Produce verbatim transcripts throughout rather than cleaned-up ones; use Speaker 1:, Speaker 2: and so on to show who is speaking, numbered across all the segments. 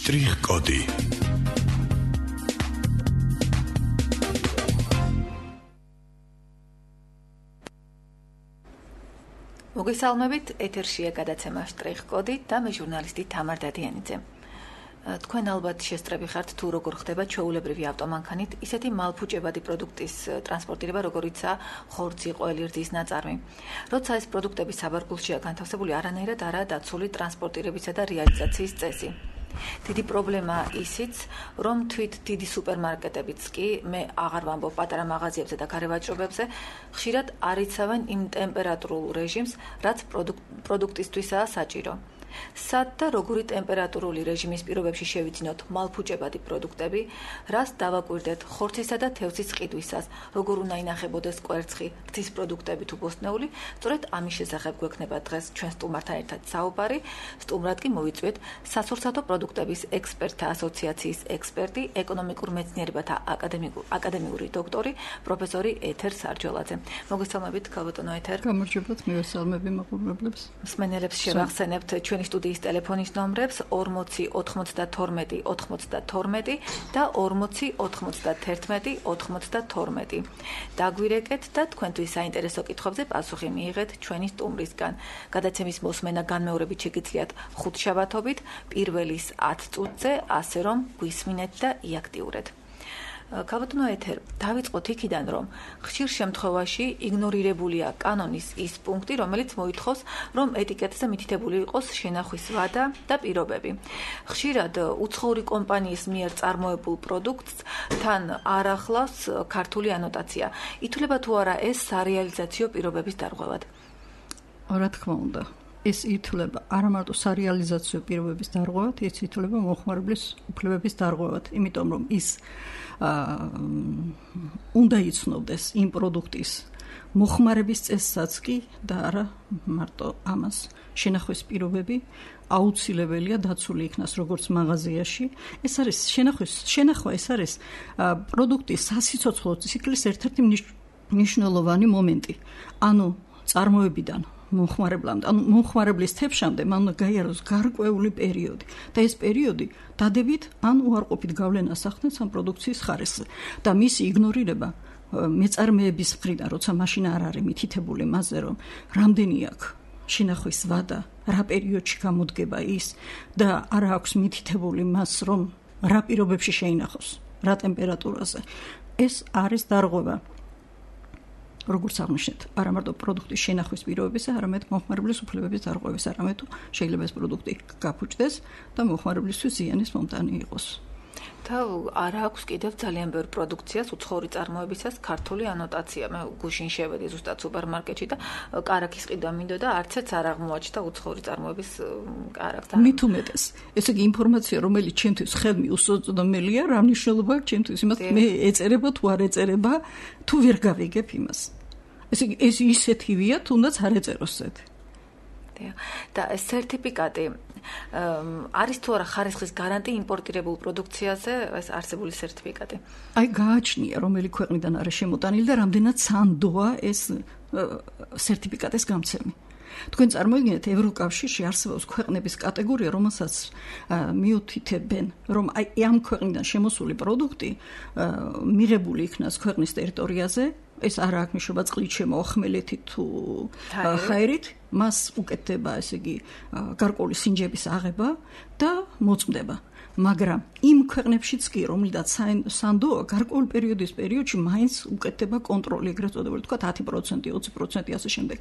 Speaker 1: შტრიხ-კოდი.
Speaker 2: მოგესალმებით, ეთერშია გადაცემა შტრიხ-კოდი და მე ჟურნალისტი თამარ დადიანიძე. თქვენ ალბათ შესწრები ხართ თუ როგორ ხდება ჩვეულებრივი ავტომანქანით ისეთი მალფუჭებადი პროდუქტის ტრანსპორტირება, როგორიცაა ხორცი, ყველი, რძის ნაწარმი. როცა ეს პროდუქტები საბარგულშია განთავსებული, არანაირად არაა დაცული ტრანსპორტირებისა და რეალიზაციის წესი. დიდი პრობლემა ისიც, რომ თვით დიდი სუპერმარკეტებიც კი, მე აღარ ვამბობ პატარა მაღაზიებზე და გარევაჭრობებზე, ხშირად არ იცავენ იმ ტემპერატურულ რეჟიმს, რაც პროდუქტისთვისაა საჭირო. სად და როგორი ტემპერატურული რეჟიმის პირობებში შევიძინოთ მალფუჭებადი პროდუქტები, რას დავაკვირდეთ ხორცისა და თევზის ყიდვისას, როგორ უნდა ინახებოდეს კვერცხი, რძის პროდუქტები თუ ბოსტნეული, სწორედ ამის შესახებ გვექნება დღეს ჩვენ სტუმართან ერთად საუბარი. სტუმრად კი მოვიწვიეთ სასურსათო პროდუქტების ექსპერტთა ასოციაციის ექსპერტი, ეკონომიკურ მეცნიერებათა აკადემიური დოქტორი, პროფესორი ეთერ სარჯოლაძე. მოგესალმებით, ქალბატონო ეთერ.
Speaker 3: გამარჯობათ, მივესალმები მაყურებლებს.
Speaker 2: მსმენელებს შევახსენებთ ჩვენ სტუდიის ტელეფონის ნომრებს ორმოცი ოთხმოცდათორმეტი ოცდათორმეტი და ორმოცი ოთხმოცდათერთმეტი ოცდათორმეტი. დაგვირეკეთ და თქვენთვის საინტერესო კითხვებზე პასუხი მიიღეთ ჩვენი სტუმრისგან. გადაცემის მოსმენა განმეორებით შეგიძლიათ ხუთშაბათობით პირველის ათ წუთზე, ასე რომ გვისმინეთ და იაქტიურეთ. ქალბატონო ეთერ, დავიწყოთ იქიდან, რომ ხშირ შემთხვევაში იგნორირებულია კანონის ის პუნქტი, რომელიც მოითხოვს, რომ ეტიკეტზე მითითებული იყოს შენახვის ვადა და პირობები. ხშირად უცხოური კომპანიის მიერ წარმოებულ პროდუქტს თან არ ახლავს ქართული ანოტაცია. ითვლება თუ არა ეს სარეალიზაციო პირობების დარღვევად?
Speaker 3: რა თქმა უნდა, ეს ითვლება არა მარტო სარეალიზაციო პირობების დარღვევად, ეს ითვლება მომხმარებლის უფლებების დარღვევად, იმიტომ რომ ის უნდა იცნობდეს იმ პროდუქტის მოხმარების წესსაც კი და არა მარტო ამას. შენახვის პირობები აუცილებელია დაცული იქნას როგორც მაღაზიაში. ეს არის შენახვის შენახვა ეს არის პროდუქტის სასიცოცხლო ციკლის ერთ-ერთი მნიშვნელოვანი მომენტი. ანუ წარმოებიდან მომხმარებლამდე, ანუ მომხმარებლის თებშამდე მან უნდა გაიაროს გარკვეული პერიოდი და ეს პერიოდი დადებით ან უარყოფით გავლენას ახდენს ამ პროდუქციის ხარისხზე და მისი იგნორირება მეწარმეების მხრიდან, როცა მაშინ არ არის მითითებული მასზე, რომ რამდენი აქვს შენახვის ვადა, რა პერიოდში გამოდგება ის და არ აქვს მითითებული მას, რომ რა პირობებში შეინახოს, რა ტემპერატურაზე. ეს არის დარღვევა. როგორც აღნიშნეთ, არა მარტო პროდუქტის შენახვის პირობებისა, არამედ მომხმარებლის უფლებების დარღვევის, არამედ შეიძლება ეს პროდუქტი გაფუჭდეს და მომხმარებლისთვის ზიანის მომტანი იყოს.
Speaker 2: და არა აქვს კიდევ ძალიან ბევრ პროდუქციას უცხოური წარმოებისას ქართული ანოტაცია. მე გუშინ შევედი ზუსტად სუპერმარკეტში და კარაქის ყიდვა მინდოდა, არც ერთს არ აღმოაჩნდა უცხოური წარმოების კარაქს.
Speaker 3: მით უმეტეს, ესე იგი ინფორმაცია, რომელიც ჩემთვის ხელმი უსწოდომელია, რა მნიშვნელობა აქვს ჩემთვის იმას, მე ეწერება თუ არ ეწერება, თუ ვერ გავიგებ იმას. ესე იგი ეს ისეთი ვია, თუნდაც არ ეწეროს ეს.
Speaker 2: და ეს სერტიფიკატი არის თუ არა ხარისხის გარანტი იმპორტირებულ პროდუქციაზე, ეს არსებული სერტიფიკატი?
Speaker 3: აი გააჩნია რომელი ქვეყნიდან არის შემოტანილი და რამდენად სანდოა ეს სერტიფიკატის გამცემი. თქვენ წარმოიდგინეთ, ევროკავშირში არსებობს ქვეყნების კატეგორია, რომელსაც მიუთითებენ, რომ აი ამ ქვეყნიდან შემოსული პროდუქტი მიღებული იქნას ქვეყნის ტერიტორიაზე, ეს არ აქვს მნიშვნელობა წყლით შემოახმელეთით თუ ჰაერით, მას უკეთდება, ესე იგი, გარკვეული სინჯების აღება და მოწმდება. მაგრამ იმ ქვეყნებშიც კი, რომელთაც სანდოა გარკვეული პერიოდის პერიოდში მაინც უკეთდება კონტროლი, ეგრეთ წოდებული, თქვა ათი პროცენტი, ოცი პროცენტი ასე შემდეგ.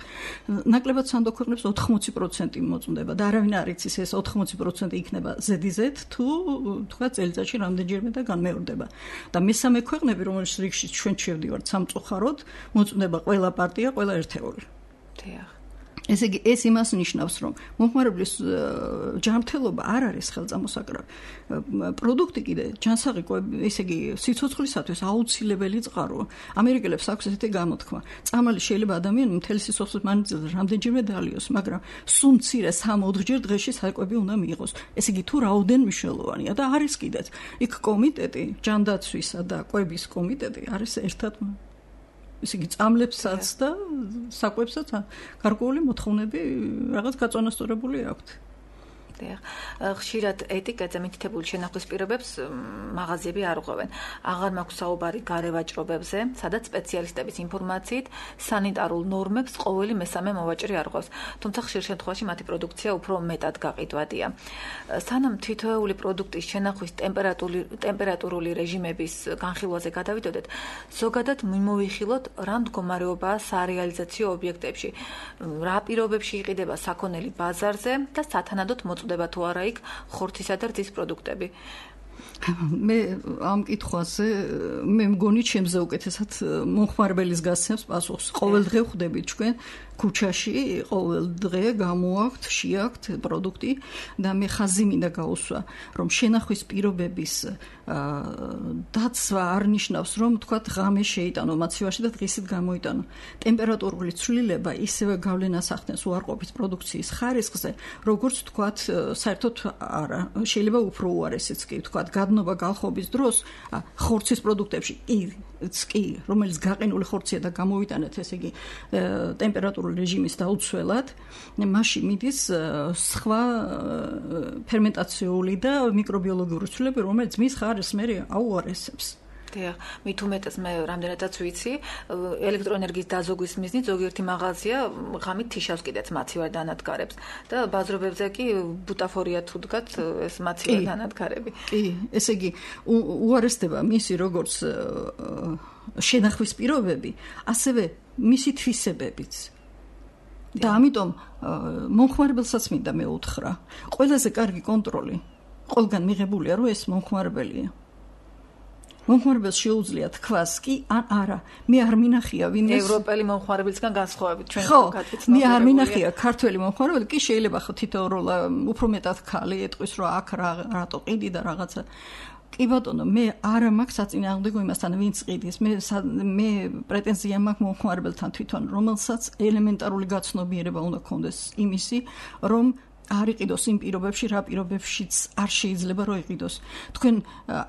Speaker 3: ნაკლებად სანდო ქვეყნებს ოთხმოცი პროცენტი მოწმდება და არავინ არ იცის ეს ოთხმოცი პროცენტი იქნება ზედიზედ თუ თქვა წელიწადში რამდენჯერმე და განმეორდება. და მესამე ქვეყნები, რომელიც რიგში ჩვენ შევდივართ სამწუხაროდ, მოწმდება ყველა პარტია, ყველა ერთეული.
Speaker 2: დიახ.
Speaker 3: ესე იგი ეს იმას ნიშნავს, რომ მომხმარებლის ჯანმრთელობა არ არის ხელწამოსაკრავი. პროდუქტი კიდე ჯანსაღი, ესე იგი სიცოცხლისათვის აუცილებელი წყაროა. ამერიკელებს აქვს ესეთი გამოთქმა. წამალი შეიძლება ადამიანმა მთელი სიცოცხლის მანძილზე რამდენჯერმე დალიოს, მაგრამ სულ მცირე სამოთხჯერ დღეში საკვები უნდა მიიღოს. ესე იგი თუ რაოდენ მნიშვნელოვანია და არის კიდეც. იქ კომიტეტი, ჯანდაცვისა და კვების კომიტეტი არის ერთად ესე იგი წამლებსაც და საკვებსაც გარკვეული მოთხოვნები რაღაც გაწონასწორებული აქვთ.
Speaker 2: ხშირად ეტიკეტზე მითითებული შენახვის პირობებს მაღაზიები არ უღვევენ. აღარ მაქვს საუბარი გარევაჭრობებზე, სადაც სპეციალისტების ინფორმაციით სანიტარულ ნორმებს ყოველი მესამე მოვაჭრე არ ღვევს. თუმცა ხშირ შემთხვევაში მათი პროდუქცია უფრო მეტად გაყიდვადია. სანამ თითოეული პროდუქტის შენახვის ტემპერატურული რეჟიმების განხილვაზე გადავიდოდეთ, ზოგადად მიმოვიხილოთ რა მდგომარეობაა სარეალიზაციო ობიექტებში, რა პირობებში იყიდება საქონელი ბაზარზე და სათანადოდ მოწდება თუ არა იქ ხორცისა და რძის პროდუქტები.
Speaker 3: მე ამ კითხვაზე მე მგონი ჩემზე უკეთესად მომხმარებელის გასცემს პასუხს. ყოველდღე ვხვდები ჩვენ ქუჩაში, ყოველდღე გამოაქვთ, შეაქვთ პროდუქტი და მე ხაზი მინდა გაუსვა, რომ შენახვის პირობების დაცვა არ ნიშნავს, რომ თქვათ ღამე შეიტანო მაცივარში და დღისით გამოიტანო. ტემპერატურული ცვლილება ისევე გავლენას ახდენს უარყოფით პროდუქციის ხარისხზე, როგორც თქვათ საერთოდ არა, შეიძლება უფრო უარესიც კი თქვათ გადნობა გალხობის დროს ხორცის პროდუქტებში კი, რომელიც გაყინული ხორცია და გამოვიტანეთ, ესე იგი ტემპერატურული რეჟიმის დაუცველად, მაშინ მიდის სხვა ფერმენტაციული და მიკრობიოლოგიური ცვლილებები, რომელიც მის ხარისხს მე აუარესებს.
Speaker 2: დიახ, მით უმეტეს მე რამდენადაც ვიცი, ელექტროენერგიის დაზოგვის მიზნით ზოგიერთი მაღაზია ღამით თიშავს კიდეც მაცივარ დანადგარებს და ბაზრობებზე კი ბუტაფორია თუ დგათ ეს მაცივარ დანადგარები.
Speaker 3: კი, ესე იგი უარესდება მისი როგორც შენახვის პირობები, ასევე მისი თვისებებიც. და ამიტომ მომხმარებელსაც მინდა მე უთხრა, ყველაზე კარგი კონტროლი ყველგან მიღებულია, რომ ეს მომხმარებელია. მომხმარებელს შეუძლია თქვას კი ან არა. მე არ მინახია ვინ ეს
Speaker 2: ევროპელი მომხმარებელისგან განსხვავებით ჩვენ
Speaker 3: გაკეთეთ. მე არ მინახია ქართველი მომხმარებელი, კი შეიძლება ხო თითოეულ უფრო მეტად ხალი ეტყვის, რომ აქ რატო ყიდი და რაღაცა. კი ბატონო, მე არ მაქვს საწინააღმდეგო იმასთან, ვინც ყიდის. მე მე პრეტენზია მაქვს მომხმარებელთან თვითონ, რომელსაც ელემენტარული გაცნობიერება უნდა ქონდეს იმისი, რომ არ იყიდოს იმ პირობებში, რა პირობებშიც არ შეიძლება რომ იყიდოს. თქვენ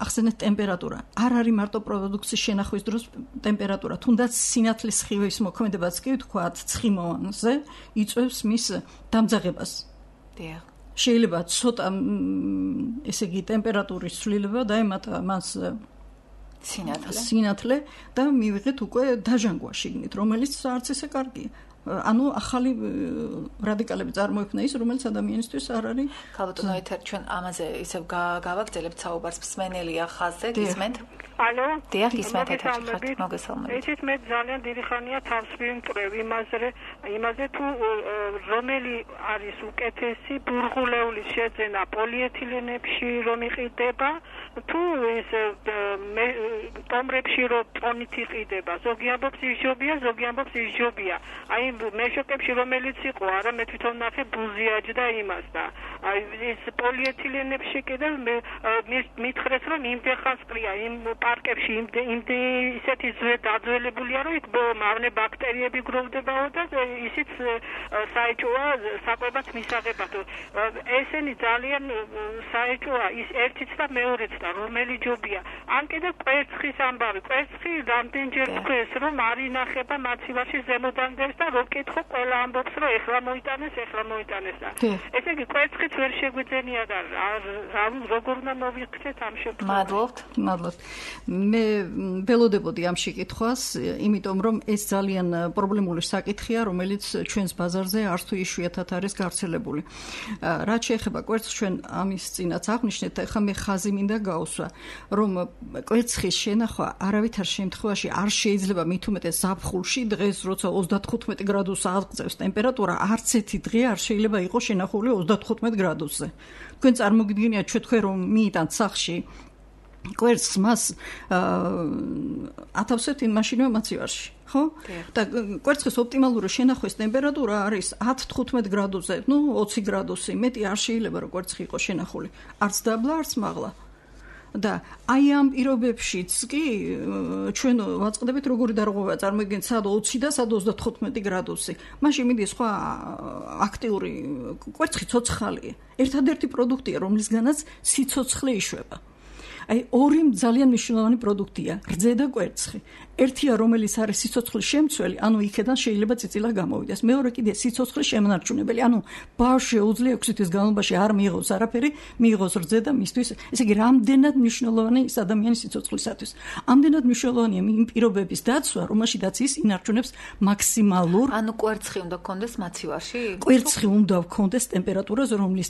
Speaker 3: ახსენეთ ტემპერატურა. არ არის მარტო პროდუქციის შენახვის დროს ტემპერატურა, თუნდაც სინათლის სხივის მოქმედებაც კი ვთქვათ, ცხიმოვანზე იწვევს მის დამძაღებას.
Speaker 2: დიახ.
Speaker 3: შეიძლება ცოტა ესე იგი ტემპერატურის ცვლილება დაემატა მას
Speaker 2: სინათლე.
Speaker 3: სინათლე და მივიღეთ უკვე დაჟანგვა შიგნით, რომელიც არც ესე კარგია. ანუ ახალი რადიკალები წარმოიქმნა ის, რომელიც ადამიანისთვის არ არის.
Speaker 2: ქალბატონო, ეთერ ჩვენ ამაზე ისევ გავაგრძელებთ საუბარს, მსმენელია ხაზზე, გისმენთ?
Speaker 1: ალო?
Speaker 2: დიახ, გისმენთ, ეთერში ხართ, მოგესალმებით.
Speaker 1: იცით, მე ძალიან დიდი ხანია თავს ვიმკრევ იმაზე, იმაზე თუ რომელი არის უკეთესი ბურღულეულის შეძენა პოლიეთილენებში რომ იყიდება, თუ ეს ტომრებში რომ ტონით იყიდება. ზოგი ამბობს ისჯობია, ზოგი ამბობს ისჯობია. აი მეშოკებში რომელიც იყო, არა მე თვითონ ნახე ბუზიაჯდა იმას და აი ეს პოლიეთილენებში კიდევ მითხრეს რომ იმდეხანს ყრია იმ პარკებში იმდე ისეთი ძვე დაძველებულია რომ იქ მავნე ბაქტერიები გროვდებაო და ისიც საეჭვოა საკვებად მისაღებად. ესენი ძალიან საეჭვოა ის ერთიც და მეორეც და რომელი ჯობია. ან კიდევ კვერცხის ამბავი, კვერცხი რამდენჯერ თქვეს რომ არ ინახება მაცივარში ზემოდან და რო კითხო ყველა ამბობს რომ ეხლა მოიტანეს, ეხლა მოიტანეს და ესე იგი კვერცხიც ვერ შეგვიძენია და რა როგორ უნდა მოვიქცეთ ამ შემთხვევაში.
Speaker 2: მადლობთ.
Speaker 3: მადლობთ. მე ველოდებოდი ამ შეკითხვას, იმიტომ რომ ეს ძალიან პრობლემული საკითხია, რომელიც ჩვენს ბაზარზე არც თუ იშვიათად არის გავრცელებული. რაც შეეხება კვერცხს, ჩვენ ამის წინაც აღვნიშნეთ, ახლა მე ხაზი მინდა გავუსვა, რომ კვერცხის შენახვა არავითარ შემთხვევაში არ შეიძლება მით უმეტეს ზაფხულში, დღეს როცა ოცდათხუთმეტი გრადუსს აღწევს ტემპერატურა, არც ერთი დღე არ შეიძლება იყოს შენახული ოცდათხუთმეტ გრადუსზე. თქვენ წარმოგიდგენიათ ჩვენ თქვენ რომ მიიტანთ სახლში კვერცხს მას ათავსებთ იმ მაშინვე მაცივარში, ხო? და კვერცხის ოპტიმალური შენახვის ტემპერატურა არის ათი თხუთმეტ გრადუსზე, ნუ ოცი გრადუსი, მეტი არ შეიძლება რომ კვერცხი იყოს შენახული. არც დაბლა, არც მაღლა. და აი ამ პირობებშიც კი ჩვენ ვაწყდებით როგორი დარღვევა წარმოგიდგენთ სად ოცი და სად ოცდათხუთმეტი გრადუსი. მაშინ მიდის სხვა აქტიური კვერცხი ცოცხალია. ერთადერთი პროდუქტია, რომლისგანაც სიცოცხლე იშვება. აი ორი ძალიან მნიშვნელოვანი პროდუქტია, რძე და კვერცხი. ერთია, რომელიც არის სიცოცხლის შემცველი, ანუ იქიდან შეიძლება წიწილა გამოვიდეს. მეორე კიდე სიცოცხლის შემნარჩუნებელი, ანუ ბავშვს შეუძლია ექვსი თვის განმავლობაში არ მიიღოს არაფერი, მიიღოს რძე და მისთვის, ესე იგი, რამდენად მნიშვნელოვანი ის ადამიანის სიცოცხლისათვის. ამდენად მნიშვნელოვანია იმ პირობების დაცვა, რომელშიც ის ინარჩუნებს მაქსიმალურ.
Speaker 2: ანუ კვერცხი უნდა გქონდეს მაცივარში?
Speaker 3: კვერცხი უნდა გქონდეს ტემპერატურაზე, რომლის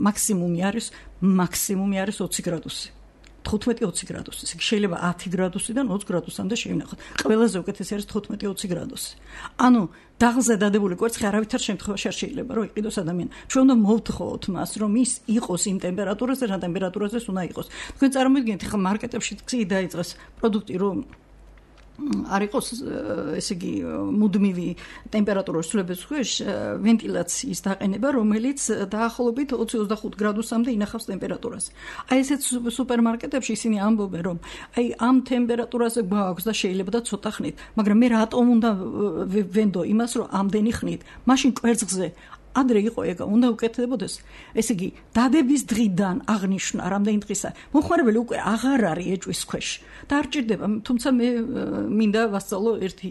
Speaker 3: მაქსიმუმი არის მაქსიმუმი არის ოცი გრადუსი. თხუთმეტი ოცი გრადუსი. ეს შეიძლება ათი გრადუსიდან ოცი გრადუსამდე შევინახოთ. ყველაზე უკეთესი არის თხუთმეტი ოცი გრადუსი. ანუ დაღლზე დადებული კვერცხი არავითარ შემთხვევაში არ შეიძლება რომ იყიდოს ადამიანი. ჩვენ უნდა მოვთხოვოთ მას, რომ ის იყოს იმ ტემპერატურაზე, რა ტემპერატურაზე უნდა იყოს. თქვენ წარმოიდგინეთ, ხა მარკეტებში გზი დაიწყეს პროდუქტი, რომ არ იყოს, ესე იგი, მუდმივი ტემპერატურის ცვლილების ქვეშ ვენტილაციის დაყენება, რომელიც დაახლოებით ოცი ოცდახუთ გრადუსამდე ინახავს ტემპერატურას. აი ესეთ სუპერმარკეტებში ისინი ამბობენ, რომ აი ამ ტემპერატურაზე გვაქვს და შეიძლება და ცოტა ხნით, მაგრამ მე რატომ უნდა ვენდო იმას, რომ ამდენი ხნით, მაშინ კვერცხზე ადრე იყო ეგა, უნდა უკეთდებოდეს. ესე იგი, დადების დღიდან აღნიშნა რამდენი დღისა. მოხმარებელი უკვე აღარ არის ეჭვის ქვეშ და არ ჭირდება, თუმცა მე მინდა ვასწავლო ერთი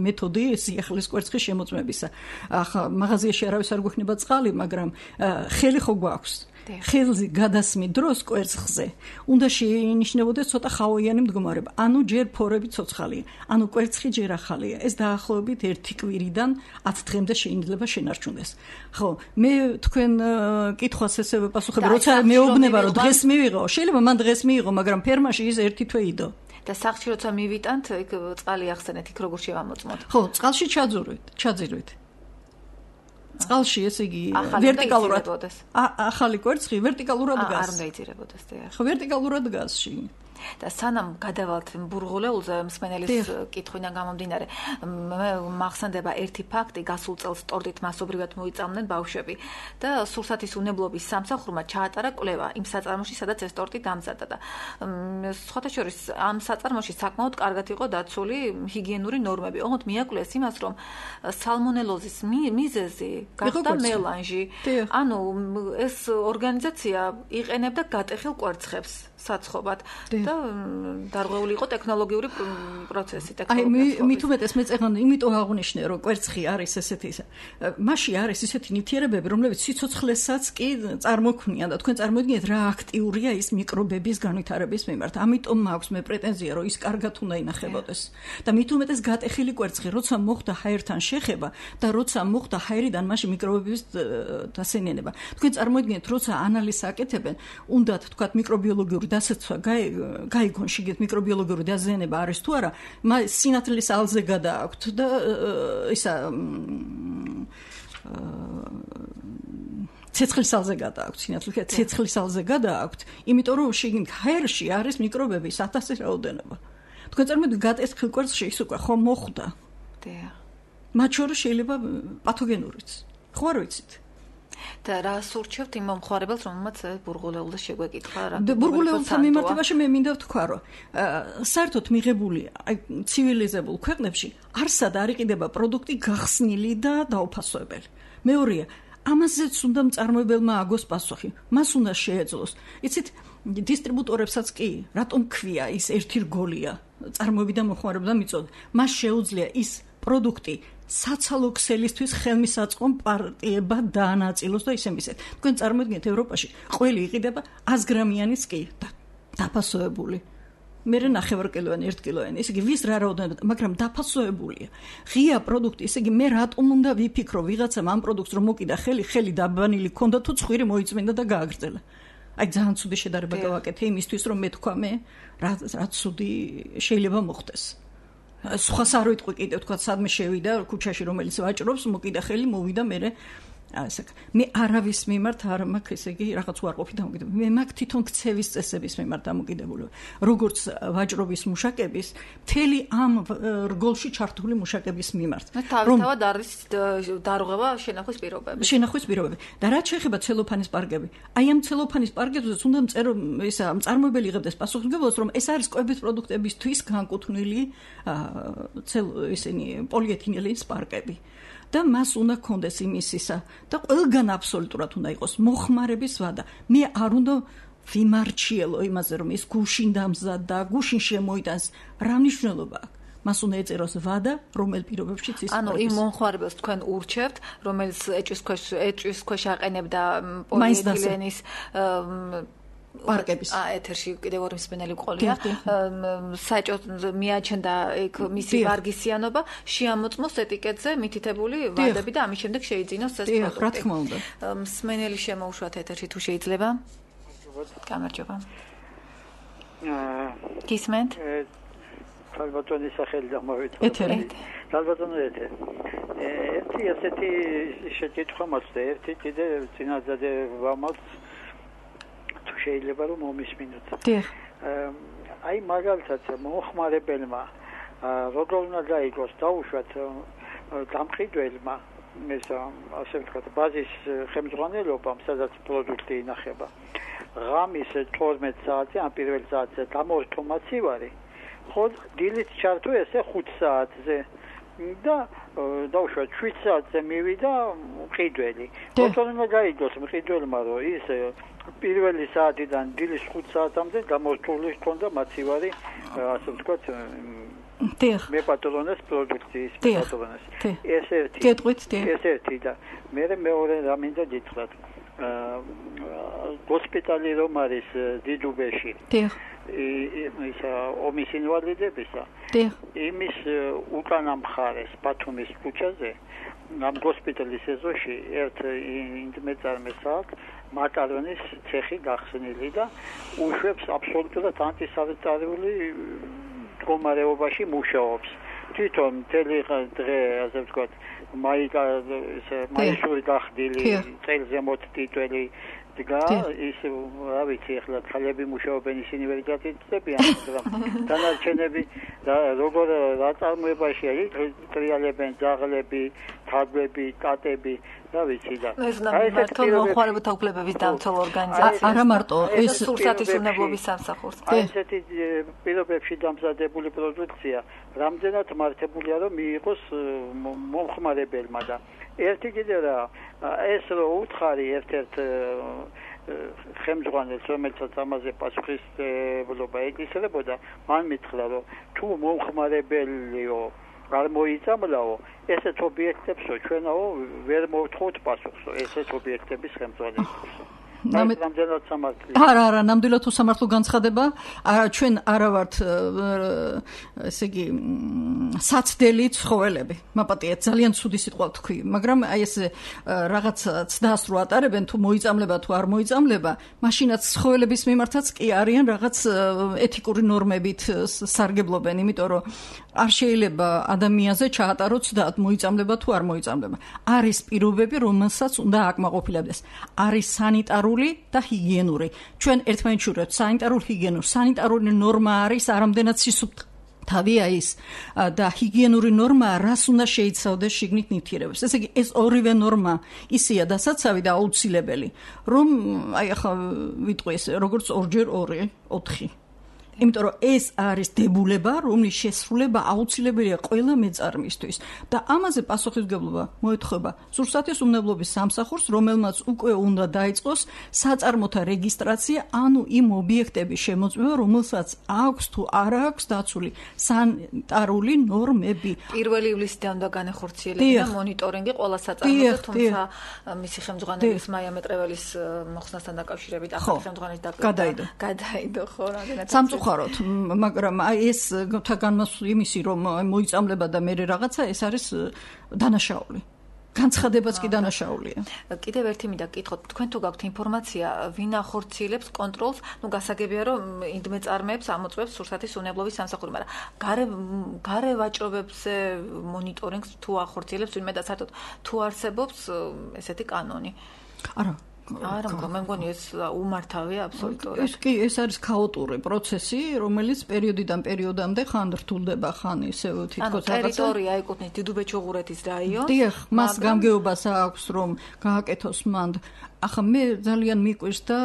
Speaker 3: მეთოდი სიახლის კვერცხის შემოწმებისა. ახლა მაღაზიაში არავის არ გვექნება წყალი, მაგრამ ხელი ხო გვაქვს. ხელზე გადასმით დროს კვერცხზე უნდა შეინიშნებოდეს ცოტა ხავოიანი მდგომარეობა. ანუ ჯერ ფორები ცოცხალია, ანუ კვერცხი ჯერ ახალია. ეს დაახლოებით ერთი კვირიდან ათი დღემდე შეიძლება შენარჩუნდეს. ხო, მე თქვენ კითხვას ესე ვეპასუხებ, როცა მეუბნება რომ დღეს მივიღო, შეიძლება მან დღეს მიიღო, მაგრამ ფერმაში ის ერთი თვე იდო.
Speaker 2: და სახლში როცა მივიტანთ, იქ წყალი ახსენეთ, იქ როგორ შევამოწმოთ?
Speaker 3: ხო, წყალში ჩაძურვით, ჩაძირვით. წყალში, ესე იგი, ვერტიკალურად ახალი კვერცხი ვერტიკალურად დგას.
Speaker 2: არ უნდა იძირებოდეს, დიახ.
Speaker 3: ხო, ვერტიკალურად დგას ში.
Speaker 2: და სანამ გადავალთ ბურღულეულზე, მსმენელის კითხვიდან გამომდინარე, მახსენდება ერთი ფაქტი, გასულ წელს ტორტით მასობრივად მოიწამნენ ბავშვები და სურსათის უნებლობის სამსახურმა ჩაატარა კვლევა იმ საწარმოში, სადაც ეს ტორტი დამზადდა და სხვათა შორის ამ საწარმოში საკმაოდ კარგად იყო დაცული ჰიგიენური ნორმები. ოღონდ მიაკვლეს იმას, რომ სალმონელოზის მიზეზი გახდა მელანჟი. ანუ ეს ორგანიზაცია იყენებდა გატეხილ კვერცხებს საცხობად და დარღვეული იყო ტექნოლოგიური პროცესი,
Speaker 3: ტექნოლოგია. აი, მით უმეტეს მე წეღან იმიტომ აღნიშნე, რომ კვერცხი არის ესეთი, მასში არის ისეთი ნივთიერებები, რომლებიც სიცოცხლესაც კი წარმოქმნიან და თქვენ წარმოიდგინეთ, რა აქტიურია ის მიკრობების განვითარების მიმართ. ამიტომ მაქვს მე პრეტენზია, რომ ის კარგად უნდა ინახებოდეს. და მით უმეტეს გატეხილი კვერცხი, როცა მოხდა ჰაერთან შეხება და როცა მოხდა ჰაერიდან მასში მიკრობების დასენიანება. თქვენ წარმოიდგინეთ, როცა ანალიზს აკეთებენ, უნდათ თქვათ მიკრობიოლოგიური დასაცვა გაიგონ შიგეთ მიკრობიოლოგიური დაზიანება არის თუ არა, მას სინათლის ალზე გადააქვთ და ისა ცეცხლის ალზე გადააქვთ, სინათლის ცეცხლის ალზე გადააქვთ, იმიტომ რომ შიგნით ჰაერში არის მიკრობების ათასის რაოდენობა. თქვენ წარმოიდგინეთ, გატეხილ კვერცხში ის უკვე ხომ მოხვდა.
Speaker 2: დიახ.
Speaker 3: მათ შორის შეიძლება პათოგენურიც. ხო არ ვიცით?
Speaker 2: და რა სურჩევთ იმ მომხმარებელს, რომელმაც ბურღულეულზე შეგვეკითხა რა?
Speaker 3: ბურღულეულთან მიმართებაში მე მინდა ვთქვა, რომ საერთოდ მიღებული აი ცივილიზებულ ქვეყნებში არსად არ იყიდება პროდუქტი გახსნილი და დაუფასოებელი. მეორეა, ამაზეც უნდა მწარმოებელმა აგოს პასუხი. მას უნდა შეეძლოს. იცით, დისტრიბუტორებსაც კი, რატომ ქვია ის ერთი რგოლია, წარმოებიდან მოხმარებიდან მიწოდა. მას შეუძლია ის პროდუქტი საცალო ქსელისთვის ხელმისაწვდომ პარტიება დაანაწილოს და ისე მისეთ. თქვენ წარმოიდგინეთ, ევროპაში ყველი იყიდება ას გრამიანიც კი დაფასოებული. მერე ნახევარკილოანი, ერთ კილოიანი, ესე იგი ვის რა რაოდენობა, მაგრამ დაფასოებულია. ღია პროდუქტი, ესე იგი მე რატომ უნდა ვიფიქრო ვიღაცამ ამ პროდუქტს რომ მოკიდა ხელი, ხელი დაბანილი ქონდა თუ ცხვირი მოიწმინდა და გააგრძელა. აი ძალიან ცუდი შედარება გავაკეთე იმისთვის რომ მე თქვა მე რა რა ცუდი შეიძლება მოხდეს. სხვას არ ვიტყვი კიდევ თქვა სადმე შევიდა ქუჩაში რომელიც ვაჭრობს მოკიდა ხელი მოვიდა მე ასე მე არავის მიმართ არ მაქვს ესე იგი რაღაც უარყოფით დამოკიდებული მე მაქვს თვითონ ქცევის წესების მიმართ დამოკიდებული როგორც ვაჭრობის მუშაკების მთელი ამ რგოლში ჩართული მუშაკების მიმართ
Speaker 2: რომ თავად არის დარღვევა შენახვის პირობები
Speaker 3: შენახვის პირობები და რაც შეეხება ცელოფანის პარკები აი ამ ცელოფანის პარკებზეც უნდა მწერო ისა მწარმოებელი იღებდეს პასუხისმგებლობას რომ ეს არის კვების პროდუქტებისთვის განკუთვნილი ცელ ისინი პოლიეთილენის პარკები და მას უნდა კონდეს იმისისა და ყველგან აბსოლუტურად უნდა იყოს მოხმარების ვადა. მე არ უნდა ვიმარჩიელო იმაზე, რომ ის გუშინ დამზადდა, გუშინ შემოიტანს, რა მნიშვნელობა აქვს? მას უნდა ეწეროს ვადა, რომელ პირობებშიც ის
Speaker 2: ანუ იმ მომხმარებელს თქვენ ურჩევთ, რომელიც ეჭვის ქვეშ ეჭვის ქვეშ აყენებდა პოლიეტილენის
Speaker 3: პარკების.
Speaker 2: აა ეთერში კიდევ ორი მსმენელი ყოლია. საჭოთ მიაჩნდა იქ მისი ვარგისიანობა, შეამოწმოს ეტიკეტზე მითითებული ვადები და ამის შემდეგ შეიძინოს ეს პროდუქტი.
Speaker 3: რა თქმა უნდა.
Speaker 2: მსმენელი შემოუშვათ ეთერში თუ შეიძლება. გამარჯობა.
Speaker 4: აა
Speaker 2: გისმენთ?
Speaker 4: ალბათონის სახელი დამოვიდა.
Speaker 3: ეთერი.
Speaker 4: ალბათონი ეთერი. ერთი ასეთი შეკითხვა მაქვს და ერთი კიდე წინადადე ვამაქვს თუ შეიძლება რომ მომისმინოთ.
Speaker 3: დიახ.
Speaker 4: აი მაგალითად მომხმარებელმა როგორ უნდა გაიგოს დაუშვათ დამყიდველმა ეს ასე ვთქვათ ბაზის ხელმძღვანელობამ სადაც პროდუქტი ინახება. ღამის თორმეტ საათზე ან პირველ საათზე გამორთო მაცივარი ხო დილით ჩართო ესე ხუთ საათზე და დაუშვათ შვიდ საათზე მივიდა მყიდველი. როგორ უნდა გაიგოს მყიდველმა რომ ის პირველი საათიდან დილის ხუთ საათამდე გამორთული ჰქონდა მაცივარი ასე ვთქვათ
Speaker 3: დიახ.
Speaker 4: მე პატრონეს პროდუქციის პატრონეს. ეს ერთი.
Speaker 3: გეტყვით, დიახ.
Speaker 4: ეს ერთი და მე მეორე რა მინდა გითხრათ. ჰოსპიტალი რომ არის დიდუბეში.
Speaker 3: დიახ.
Speaker 4: ის ომის ინვალიდებისა.
Speaker 3: დიახ.
Speaker 4: იმის უკანა მხარეს ბათუმის ქუჩაზე ამ ჰოსპიტალის ეზოში ერთ ინდმეწარმეს აქვს მაკარონის ცეხი გახსნილი და უშვებს აბსოლუტურად ანტისანიტარული მდგომარეობაში მუშაობს. თვითონ მთელი დღე ასე ვთქვათ მაიკა მაისური გახდილი წელზე მოტიტველი დგა ის რა ვიცი ახლა ხალები მუშაობენ ისინი ვერ გაწიწებიან მაგრამ დანარჩენები და როგორ რა წარმოებაში არის ტრიალებენ ძაღლები თაგვები კატები რა ვიცი და
Speaker 2: აი ეს მომხმარებელთა უფლებების დამცველ ორგანიზაცია
Speaker 3: არა მარტო
Speaker 2: ეს სურსათის უნებლობის სამსახურს
Speaker 4: ესეთი პირობებში დამზადებული პროდუქცია რამდენად მართებულია რომ მიიღოს მომხმარებელმა და ერთი კიდე რა ეს რო უთხარი ერთ-ერთ ხელმძღვანელს რომელსაც ამაზე პასუხისმგებლობა ეკისრებოდა მან მითხრა რომ თუ მომხმარებელიო არ მოიწამლაო ესეთ ობიექტებსო ჩვენაო ვერ მოვთხოვთ პასუხსო ესეთ ობიექტების ხელმძღვანელს ნამდვილად სამართლია.
Speaker 3: არა, არა, ნამდვილად უსამართლო განცხადება. ჩვენ არა ვართ ესე იგი საცდელი ცხოველები. მაპატია ძალიან ცუდი სიტყვა თქვი, მაგრამ აი ეს რაღაც ცდას რო ატარებენ თუ მოიწამლება თუ არ მოიწამლება, მაშინაც ცხოველების მიმართაც კი არიან რაღაც ეთიკური ნორმებით სარგებლობენ, იმიტომ რომ არ შეიძლება ადამიანზე ჩაატაროს და მოიწამლება თუ არ მოიწამლება. არის პირობები, რომელსაც უნდა აკმაყოფილებდეს. არის სანიტარული და ჰიგიენური. ჩვენ ერთმანეთს შურევთ სანიტარულ ჰიგიენურ. სანიტარული ნორმა არის არამდენად სისუფთავია ის და ჰიგიენური ნორმა რას უნდა შეიცავდეს შიგნით ნივთიერებებს. ესე იგი ეს ორივე ნორმა ისეა დასაცავი და აუცილებელი, რომ აი ახლა ვიტყვი ეს როგორც ორჯერ ორი, ოთხი. იმიტომ რომ ეს არის დებულება, რომლის შესრულება აუცილებელია ყველა მეწარმისთვის და ამაზე პასუხისმგებლობა მოეთხოვება სურსათის უნებლობის სამსახურს, რომელმაც უკვე უნდა დაიწყოს საწარმოთა რეგისტრაცია, ანუ იმ ობიექტების შემოწმება, რომელსაც აქვს თუ არ აქვს დაცული სანიტარული ნორმები.
Speaker 2: პირველი ივლისიდან უნდა განეხორციელება მონიტორინგი ყველა საწარმოზე, თუმცა მისი ხელმძღვანელის მაია მეტრეველის მოხსნასთან დაკავშირებით ახალი ხელმძღვანელის
Speaker 3: გადაიდო.
Speaker 2: გადაიდო ხო რამდენად
Speaker 3: სამწუხაროდ, მაგრამ აი ეს განმასული იმისი რომ მოიწამლება და მე რაღაცა ეს არის დანაშაული. განცხადებაც კი დანაშაულია.
Speaker 2: კიდევ ერთი მინდა გკითხოთ, თქვენ თუ გაქვთ ინფორმაცია, ვინ ახორციელებს კონტროლს, ნუ გასაგებია რომ ინდმეწარმეებს ამოწმებს სურსათის უნებლობის სამსახური, მაგრამ გარე გარე ვაჭრობებზე მონიტორინგს თუ ახორციელებს ვინმე და საერთოდ თუ არსებობს ესეთი კანონი?
Speaker 3: არა
Speaker 2: არა, მე მგონი ეს უმართავია აბსოლუტურად.
Speaker 3: ეს კი ეს არის ქაოტური პროცესი, რომელიც პერიოდიდან პერიოდამდე ხან რთულდება, ხან ისე თითქოს
Speaker 2: რაღაცა. ანუ ტერიტორია ეკუთვნის დიდუბე-ჩუღურეთის რაიონს.
Speaker 3: დიახ, მას გამგეობას აქვს რომ გააკეთოს მანდ. ახლა მე ძალიან მიყვირს და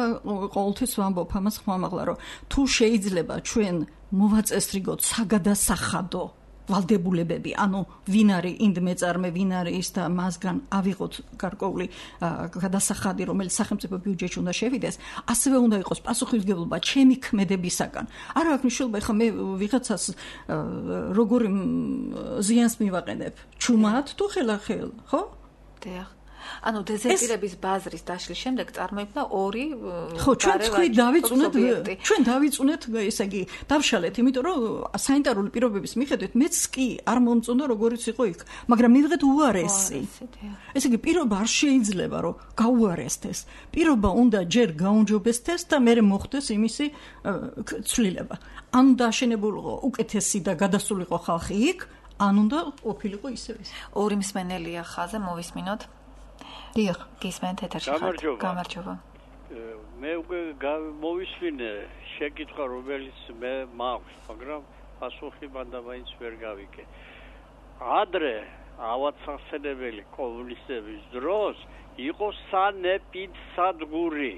Speaker 3: ყოველთვის ვამბობ ამას ხმამაღლა, რომ თუ შეიძლება ჩვენ მოვაწესრიგოთ საგადასახადო ვალდებულებები, ანუ ვინ არის ინდმეწარმე, ვინ არის ის და მასგან ავიღოთ გარკვეული გადასახადი, რომელიც სახელმწიფო ბიუჯეტში უნდა შევიდეს, ასევე უნდა იყოს პასუხისმგებლობა ჩემი ქმედებისაგან. არა აქვს მნიშვნელობა, ეხლა მე ვიღაცას როგორი ზიანს მივაყენებ, ჩუმად თუ ხელახელ, ხო?
Speaker 2: დიახ. ანუ დეზერტირების ბაზრის დაშლის შემდეგ წარმოიქმნა ორი
Speaker 3: ხო, ჩვენ თქვი დავიწუნეთ, ჩვენ დავიწუნეთ, ესე იგი, დავშალეთ, იმიტომ რომ სანიტარული პირობების მიხედვით მეც კი არ მომწონდა როგორიც იყო იქ, მაგრამ მივიღეთ უარესი. ესე იგი, პირობა არ შეიძლება რომ გაუარესდეს. პირობა უნდა ჯერ გაუნჯობესდეს და მერე მოხდეს იმისი ცვლილება. ან დაშენებულიყო უკეთესი და გადასულიყო ხალხი იქ, ან უნდა ყოფილიყო ისევე.
Speaker 2: ორი მსმენელია ხაზზე, მოვისმინოთ. დიახ, გისმენთ ეთერში ხართ. გამარჯობა.
Speaker 5: მე უკვე მოვისმინე შეკითხვა, რომელიც მე მაქვს, მაგრამ პასუხი მანდა მაინც ვერ გავიგე. ადრე ავაცახსენებელი კომუნისტების დროს იყო სანეპიდსადგური,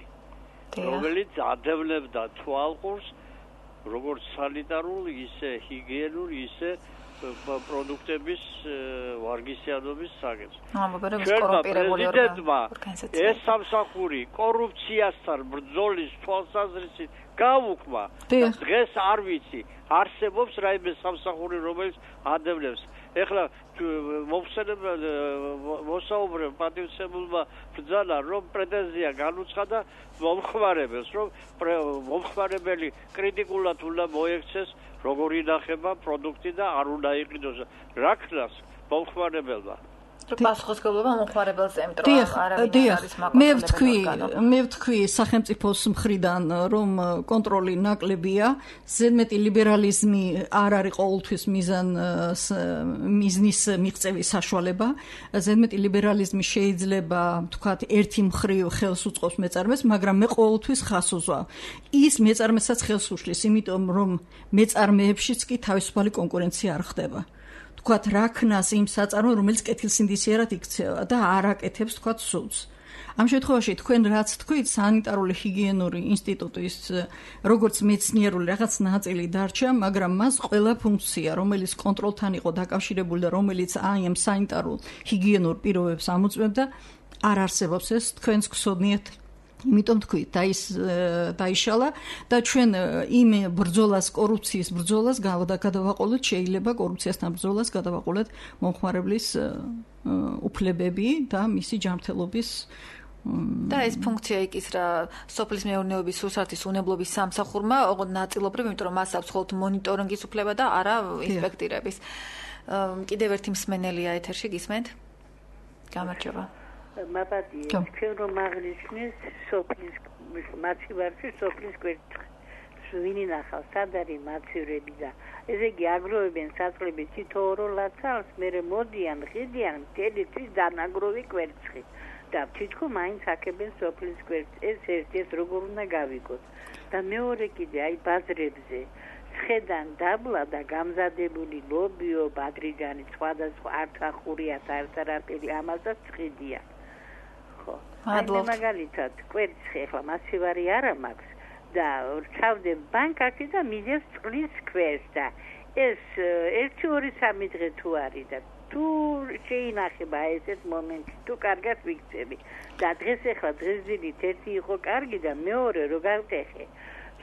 Speaker 5: რომელიც ადევნებდა თვალყურს როგორც სანიტარულ, ისე ჰიგიენურ, ისე პროდუქტების ვარგისიანობის საკითხს. პრეზიდენტმა ეს სამსახური კორუფციასთან ბრძოლის თვალსაზრისით გაუქმა. დღეს არ ვიცი, არსებობს რაიმე სამსახური, რომელიც ადევნებს. ეხლა მოხსენებელ მოსაუბრე პატივცემულმა ბრძანა, რომ პრეტენზია განუცხადა მომხმარებელს, რომ მომხმარებელი კრიტიკულად უნდა მოექცეს როგორ ინახება პროდუქტი და არ უნდა იყიდოს რა ქნას მომხმარებელმა.
Speaker 2: პასუხისმგებლობა მომხმარებელს ემტრო, არ არის მაგალითად.
Speaker 3: მე ვთქვი, მე ვთქვი სახელმწიფოს მხრიდან, რომ კონტროლი ნაკლებია, ზედმეტი ლიბერალიზმი არ არის ყოველთვის მიზან მიზნის მიღწევის საშუალება. ზედმეტი ლიბერალიზმი შეიძლება, ვთქვათ, ერთი მხრივ ხელს უწყობს მეწარმეს, მაგრამ მე ყოველთვის ხას უზვავ. ის მეწარმესაც ხელს უშლის, იმიტომ რომ მეწარმეებშიც კი თავისუფალი კონკურენცია არ ხდება. თქვათ რა ქნას იმ საწარმო, რომელიც კეთილსინდისიერად იქცევა და არ აკეთებს თქვათ სულს. ამ შემთხვევაში თქვენ რაც თქვით, სანიტარული ჰიგიენური ინსტიტუტის როგორც მეცნიერული რაღაც ნაწილი დარჩა, მაგრამ მას ყველა ფუნქცია, რომელიც კონტროლთან იყო დაკავშირებული და რომელიც აი ამ სანიტარულ ჰიგიენურ პირობებს ამოწმებდა, არ არსებობს. ეს თქვენს გსოდნიათ. იმიტომ თქვი, დაის დაიშალა და ჩვენ იმ ბრძოლას, კორუფციის ბრძოლას გადავაყოლოთ, შეიძლება კორუფციასთან ბრძოლას გადავაყოლოთ მომხმარებლის უფლებები და მისი ჯანმრთელობის
Speaker 2: და ეს ფუნქცია იქის რა სოფლის მეურნეობის სურსათის უნებლობის სამსახურმა, ოღონდ ნაწილობრივ, იმიტომ რომ მას აქვს მხოლოდ მონიტორინგის უფლება და არა ინსპექტირების. კიდევ ერთი მსმენელია ეთერში, გისმენთ? გამარჯობა.
Speaker 6: მაბადია, ჩვენ რომ აღნიშნეს სოფლის მაცივარში სოფლის კვერცხი. ვინ ინახავს, სად არის მაცივრები და ესე იგი აგროვებენ საწყლები თითოეულ ლაცალს, მერე მოდიან, ღიდიან მთელი თვის დანაგროვი კვერცხი და თითქოს მაინც აქებენ სოფლის კვერცხს. ეს ერთ-ერთ როგორ უნდა გავიგოთ. და მეორე კიდე აი ბაზრებზე ხედან დაბლა და გამზადებული ლობიო, ბადრიჯანი, სხვადასხვა არტახურიათ, არტარაპელი ამასაც ხიდია.
Speaker 2: მადლობთ.
Speaker 6: მაგალითად, კვერცხი ახლა მასივარი არა მაქვს და რჩავდე ბანკაში და მიდევს წყლის ქვეშ და ეს ერთი ორი სამი დღე თუ არის და თუ შეინახება ესეთ მომენტი, თუ კარგად ვიქცევი და დღეს ახლა დღესდღეობით ერთი იყო კარგი და მეორე რო გავტეხე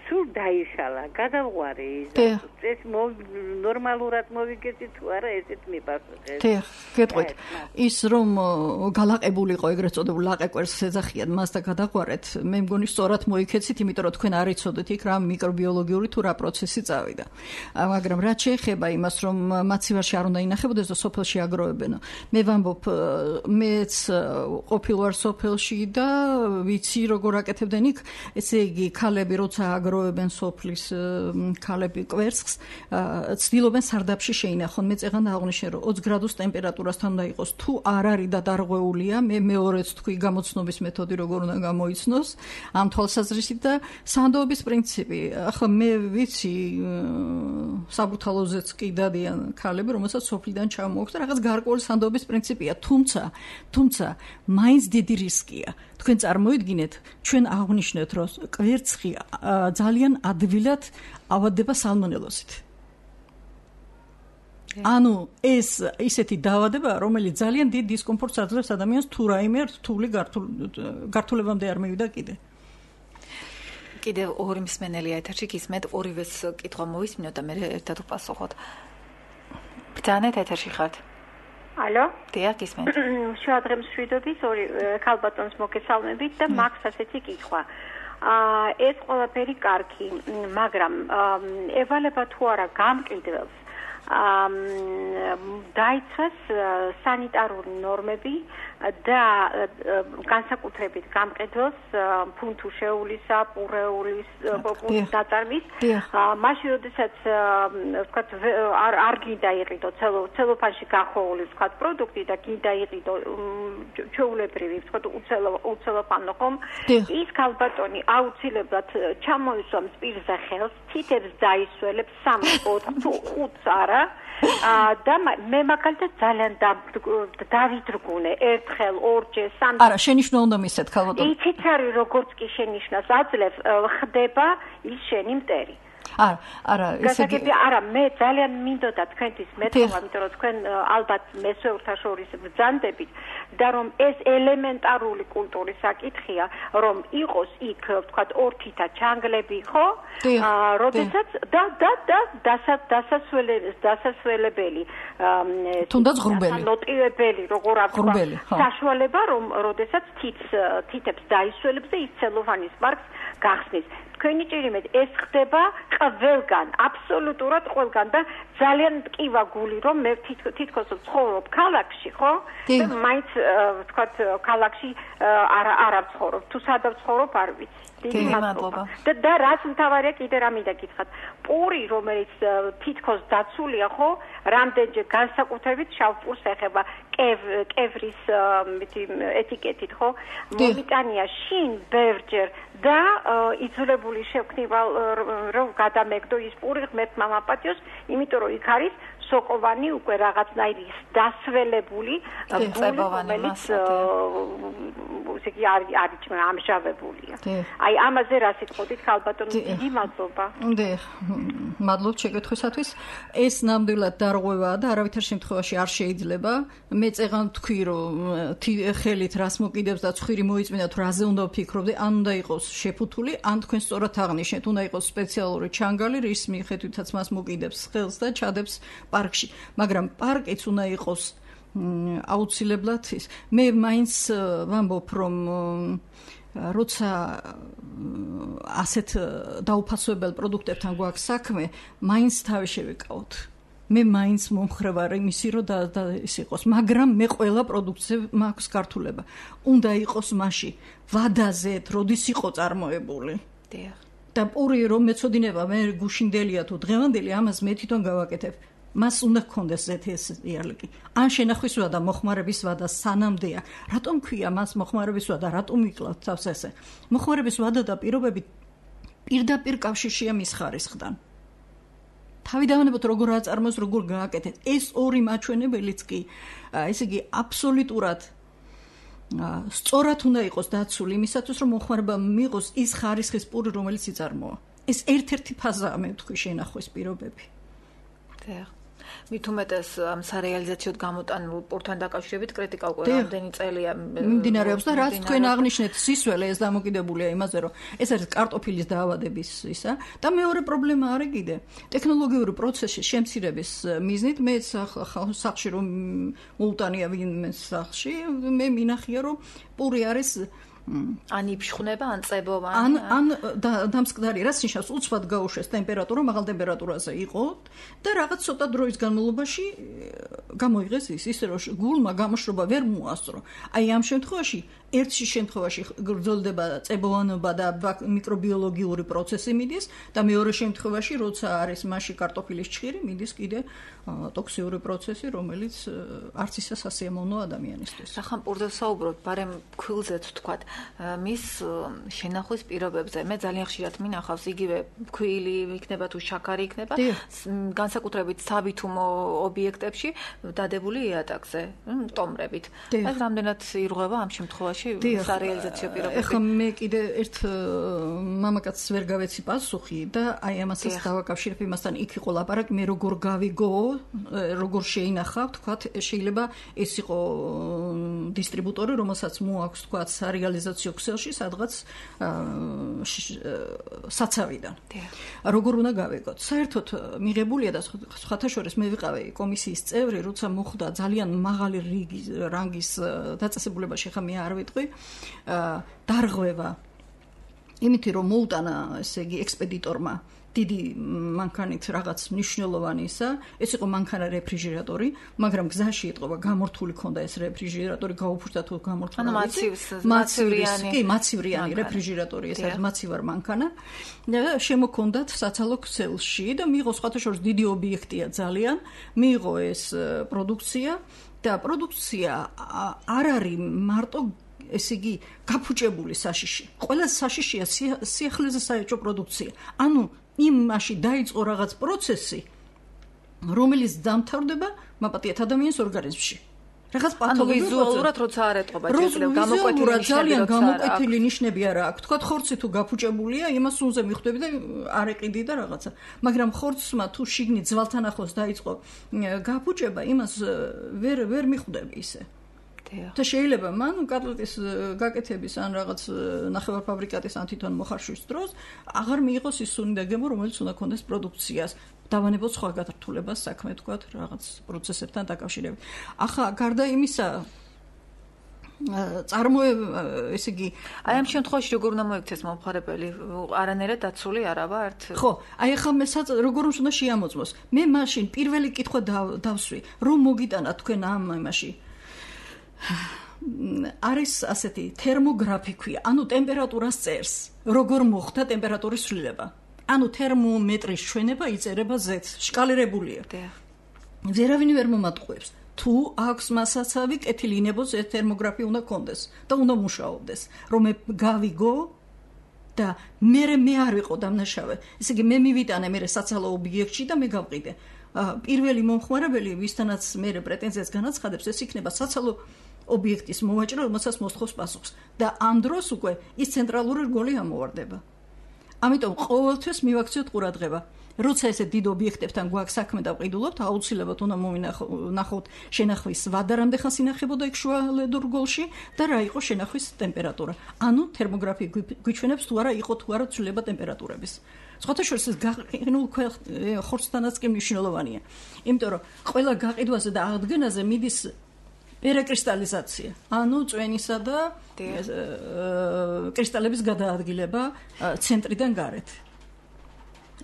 Speaker 6: სულ დაიშალა, გადავღვარე ის ეს ნორმალურად მოვიგეცი თუ არა ესეთ მიპასუხეს.
Speaker 3: დიახ, გეტყვით. ის რომ გალაყებულიყო ეგრეთ წოდებულ ლაყე კვერცხს ეძახიან მას და გადაღვარეთ, მე მგონი სწორად მოიქეცით, იმიტომ რომ თქვენ არ იცოდეთ იქ რა მიკრობიოლოგიური თუ რა პროცესი წავიდა. მაგრამ რაც შეეხება იმას, რომ მაცივარში არ უნდა ინახებოდეს და სოფელში აგროვებენ. მე ვამბობ, მეც ყოფილვარ სოფელში და ვიცი როგორ აკეთებდნენ იქ, ესე იგი ქალები როცა აგროვებენ სოფლის ქალები კვერცხს, ცდილობენ სარდაფში შეინახონ. მე წეღან აღნიშნე, რომ ოცი გრადუს ტემპერატურასთან უნდა იყოს. თუ არ არის და დარღვეულია, მე მეორეც თქვი გამოცნობის მეთოდი როგორ უნდა გამოიცნოს ამ თვალსაზრისით და სანდოობის პრინციპი. ახლა მე ვიცი საბურთალოზეც კი დადიან ქალები, რომელსაც სოფლიდან ჩამოაქვს და რაღაც გარკვეული სანდოობის პრინციპია, თუმცა, თუმცა მაინც დიდი რისკია. თქვენ წარმოიდგინეთ, ჩვენ აღნიშნეთ, რომ კვერცხი ძალიან ადვილად ავადდება სალმონელოზით. ანუ ეს ისეთი დაავადებაა, რომელიც ძალიან დიდ დისკომფორტს აძლევს ადამიანს თუ რაიმე რთული გართულებამდე არ მივიდა კიდე.
Speaker 2: კიდევ ორი მსმენელია ეთერში, გისმენთ ორივეს კითხვა მოვისმინოთ და მე ერთად ვპასუხოთ. ბრძანეთ ეთერში ხართ.
Speaker 7: ალო?
Speaker 2: დიახ, გისმენთ.
Speaker 7: შევადრებს შვიდობის ორი ქალბატონს მოგესალმებით და მაქვს ასეთი კითხვა. აა ეს ყველაფერი კარგი, მაგრამ ევალება თუ არა გამყიდველს აა დაიცვას სანიტარული ნორმები და განსაკუთრებით გამყიდველს ფუნთუშეულისა, პურეულის, პოპულის დაწარმის. მაშინ როდესაც ვთქვათ არ არ გინდა იყიდო ცელოფანში გახოვული ვთქვათ პროდუქტი და გინდა იყიდო ჩვეულებრივი ვთქვათ უცელოფანო ხომ ის ქალბატონი აუცილებლად ჩამოისვამს პირზე ხელს, თითებს დაისველებს სამი ოთხ თუ ხუთს არა და მე მაგალითად ძალიან დავიძრგუნე ერთხელ ორჯერ სამჯერ
Speaker 3: არა შენიშვნა უნდა მისცეთ ქალბატონო
Speaker 7: იცით არის როგორც კი შენიშვნას აძლევს ხდება ის შენი მტერი
Speaker 3: არა, არა,
Speaker 7: ესე იგი არა, მე ძალიან მინდოდა თქვენთვის მეთქვა, იმიტომ რომ თქვენ ალბათ მესვეურთა შორის ბრძანდებით და რომ ეს ელემენტარული კულტურის საკითხია, რომ იყოს იქ, ვთქვათ, ორთითა ჩანგლები, ხო? აა, როდესაც და და და დასასველებელი,
Speaker 3: თუნდაც ღრუბელი.
Speaker 7: ნოტივებელი, როგორ აქვს საშუალება, რომ როდესაც თითს თითებს დაისველებს და ის ცელოფანის პარკს გახსნის. თქვენი ჭირიმეთ ეს ხდება ყველგან, აბსოლუტურად ყველგან და ძალიან მტკივა გული რომ მე თითქოს ვცხოვრობ ქალაქში, ხო? და მაინც ვთქვათ ქალაქში არ არ ვცხოვრობ. თუ სადაც ვცხოვრობ არ ვიცი.
Speaker 2: დიდი მადლობა.
Speaker 7: და და რაც მთავარია კიდე რა მინდა გითხრათ. პური რომელიც თითქოს დაცულია, ხო? რამდენჯერ განსაკუთრებით შავ პურს ეხება კევრის ეტიკეტით, ხო? მომიტანია შინ ბევრჯერ და იძულებული შევქნივა რომ გადამეგდო ის პური ღმერთ მამაპატიოს, იმიტომ რომ იქ არის სოკოვანი უკვე რაღაცნაირი დასველებული
Speaker 2: წებოვანი
Speaker 7: ისე კი არის არის ამჟავებულია. აი ამაზე რა სიტყვით ქალბატონო დიდი მადლობა.
Speaker 3: დიახ, მადლობთ შეკითხვისათვის. ეს ნამდვილად დარღვევაა და არავითარ შემთხვევაში არ შეიძლება. მე წეღან თქვი რომ ხელით რას მოკიდებს და ცხვირი მოიწმინდათ რაზე უნდა ვფიქრობდე, ან უნდა იყოს შეფუთული, ან თქვენ სწორად აღნიშნეთ, უნდა იყოს სპეციალური ჩანგალი, რის მიხედვითაც მას მოკიდებს ხელს და ჩადებს პარკში, მაგრამ პარკიც უნდა იყოს აუცილებლად ის. მე მაინც ვამბობ, რომ როცა ასეთ დაუფასოებელ პროდუქტებთან გვაქვს საქმე, მაინც თავი შევიკავოთ. მე მაინც მომხრევარ იმისი, რომ და ის იყოს, მაგრამ მე ყველა პროდუქტზე მაქვს გართულება. უნდა იყოს მასში ვადაზეთ, როდის იყო წარმოებული.
Speaker 2: დიახ.
Speaker 3: და პური რომ მეწოდინება, მე გუშინდელია თუ დღევანდელი, ამას მე თვითონ გავაკეთებ. მას უნდა გქონდეს ზეთის იარლიკი. ან შენახვის ვადა, მოხმარების ვადა სანამდეა. რატომ ქვია მას მოხმარების ვადა, რატომ იკლავთ თავს ესე? მოხმარების ვადა და პირობები პირდაპირ კავშირშია მის ხარისხთან. თავი დავანებოთ როგორ აწარმოოს, როგორ გააკეთეთ. ეს ორი მაჩვენებელიც კი, ესე იგი, აბსოლუტურად სწორად უნდა იყოს დაცული იმისათვის, რომ მოხმარება მიიღოს ის ხარისხის პური, რომელიც იწარმოა. ეს ერთ-ერთი ფაზაა, მე ვთქვი, შენახვის პირობები.
Speaker 2: დიახ. მით უმეტეს ამ სარეალიზაციოდ გამოტანილ პურთან დაკავშირებით კრიტიკა უკვე რამდენი წელია
Speaker 3: მიმდინარეობს და რაც თქვენ აღნიშნეთ სისველე ეს დამოკიდებულია იმაზე რომ ეს არის კარტოფილის დაავადების ისა და მეორე პრობლემა არის კიდე ტექნოლოგიური პროცესის შემცირების მიზნით მე სახში რომ მოუტანია ვინმე სახში მე მინახია რომ პური არის
Speaker 2: ან იფშხნება, ან წებოვანი.
Speaker 3: ან ან დამსკდარი, რაც ნიშნავს უცბად გაუშვეს ტემპერატურა, მაღალ ტემპერატურაზე იყო და რაღაც ცოტა დროის განმავლობაში გამოიღეს ის, ისე რომ გულმა გამოშრობა ვერ მოასწრო. აი ამ შემთხვევაში ერთი შემთხვევაში გრძელდება წებოვანობა და მიკრობიოლოგიური პროცესი მიდის და მეორე შემთხვევაში, როცა არის მასში კარტოფილის ჭხირი, მიდის კიდე ტოქსიური პროცესი, რომელიც არც ისე სასიამოვნო ადამიანისთვის.
Speaker 2: ახლა პურზე საუბრობთ, ბარემ ქვილზეც ვთქვათ. მის შენახვის პირობებზე. მე ძალიან ხშირად მინახავს იგივე ქვილი იქნება თუ შაქარი იქნება, განსაკუთრებით საბითუმო ობიექტებში დადებული იატაკზე, ტომრებით. ეს რამდენად ირღვევა ამ შემთხვევაში სარეალიზაციო პირობები.
Speaker 3: ეხლა მე კიდე ერთ მამაკაცს ვერ გავეცი პასუხი და აი ამასაც დავაკავშირებ იმასთან, იქ იყო ლაპარაკი, მე როგორ გავიგო, როგორ შეინახა, თქვათ, შეიძლება ეს იყო დისტრიბუტორი, რომელსაც მოაქვს, თქვათ, სარეალიზაციო ქსელში, სადღაც საცავიდან. როგორ უნდა გავიგოთ? საერთოდ მიღებულია და სხვათა შორის მე ვიყავი კომისიის წევრი, როცა მოხდა ძალიან მაღალი რანგის დაწესებულებაში, ხა მე არ ვიტყვი, დარღვევა იმითი რომ მოუტანა, ესე იგი, ექსპედიტორმა დიდი მანქანით რაღაც მნიშვნელოვანისა, ეს იყო მანქანა რეფრიჟერატორი, მაგრამ გზაში ეტყობა გამორთული ქონდა ეს რეფრიჟერატორი, გაუფრთხა თუ გამორთული.
Speaker 2: ანუ მაცივრიანი,
Speaker 3: კი, მაცივრიანი რეფრიჟერატორი, ეს არის მაცივარ მანქანა. და შემოქონდათ საცალო ქსელში და მიიღო სხვათა შორის დიდი ობიექტია ძალიან, მიიღო ეს პროდუქცია და პროდუქცია არ არის მარტო ესე იგი გაფუჭებული საშიში. ყველა საშიშია სიახლეზე საერთო პროდუქცია. ანუ იმაში დაიწყო რაღაც პროცესი, რომელიც დამთავრდება მაპატიეთ ადამიანის ორგანიზმში. რაღაც პათოლოგიური
Speaker 2: ვიზუალურად როცა არ ეტყობა, შეიძლება გამოკვეთილი ნიშნები
Speaker 3: ძალიან გამოკვეთილი ნიშნები არა აქვს. თქვა ხორცი თუ გაფუჭებულია, იმას უნდა მიხვდები და არ ეყიდი და რაღაცა. მაგრამ ხორცმა თუ შიგნით ძვალთან ახლოს დაიწყო გაფუჭება, იმას ვერ ვერ მიხვდები ისე. და შეიძლება მან კატლეტის გაკეთების ან რაღაც ნახევარფაბრიკატის ან თვითონ მოხარშვის დროს აღარ მიიღოს ის სუნდაგემო, რომელიც უნდა ქონდეს პროდუქციას. დავანებოთ სხვა გათართულებას საქმე, თქვათ, რაღაც პროცესებთან დაკავშირებით. ახლა გარდა იმისა, წარმოება, ესე იგი,
Speaker 2: აი ამ შემთხვევაში როგორ უნდა მოიქცეს მომხარებელი? არანაირად დაცული არავა ერთ.
Speaker 3: ხო, აი ახლა მე როგორ უნდა შეამოწმოს? მე მაშინ პირველი კითხვა დავსვი, რომ მოგიტანა თქვენ ამ იმაში არის ასეთი თერმოგრაფი, ანუ ტემპერატურას წერს, როგორ მოხდა ტემპერატურის ცვლილება. ანუ თერმომეტრის ჩვენება იწერება ზეთს, შკალირებულია. ვერავინ ვერ მომატყუებს. თუ აქვს მასაცავი კეთილინებო ზეთ თერმოგრაფი უნდა კონდეს და უნდა მუშაობდეს, რომ მე გავიგო და მე მე არ ვიყო დამნაშავე. ესე იგი მე მივიტანე მე საცალო ობიექტში და მე გავყიდე. პირველი მომხმარებელი, ვისთანაც მე პრეტენზიას განაცხადებს, ეს იქნება საცალო ობიექტის მოვაჭრე, რომელსაც მოსთხოვს პასუხს და ამ დროს უკვე ის ცენტრალური რგოლი ამოვარდება. ამიტომ ყოველთვის მივაქციოთ ყურადღება. როცა ესე დიდ ობიექტებთან გვაქვს საქმე და ვყიდულობთ, აუცილებლად უნდა მოვინახოთ შენახვის ვადა რამდენხანს ინახებოდა იქ შუალედურ რგოლში და რა იყო შენახვის ტემპერატურა. ანუ თერმოგრაფი გვიჩვენებს თუ არა იყო თუ არა ცვლილება ტემპერატურების. სხვათა შორის ეს გაყინულ ხორცთანაც კი მნიშვნელოვანია. იმიტომ რომ ყველა გაყიდვაზე და აღდგენაზე მიდის პერაკრისტალიზაცია, ანუ წვენისა და კრისტალების გადაადგილება ცენტრიდან გარეთ.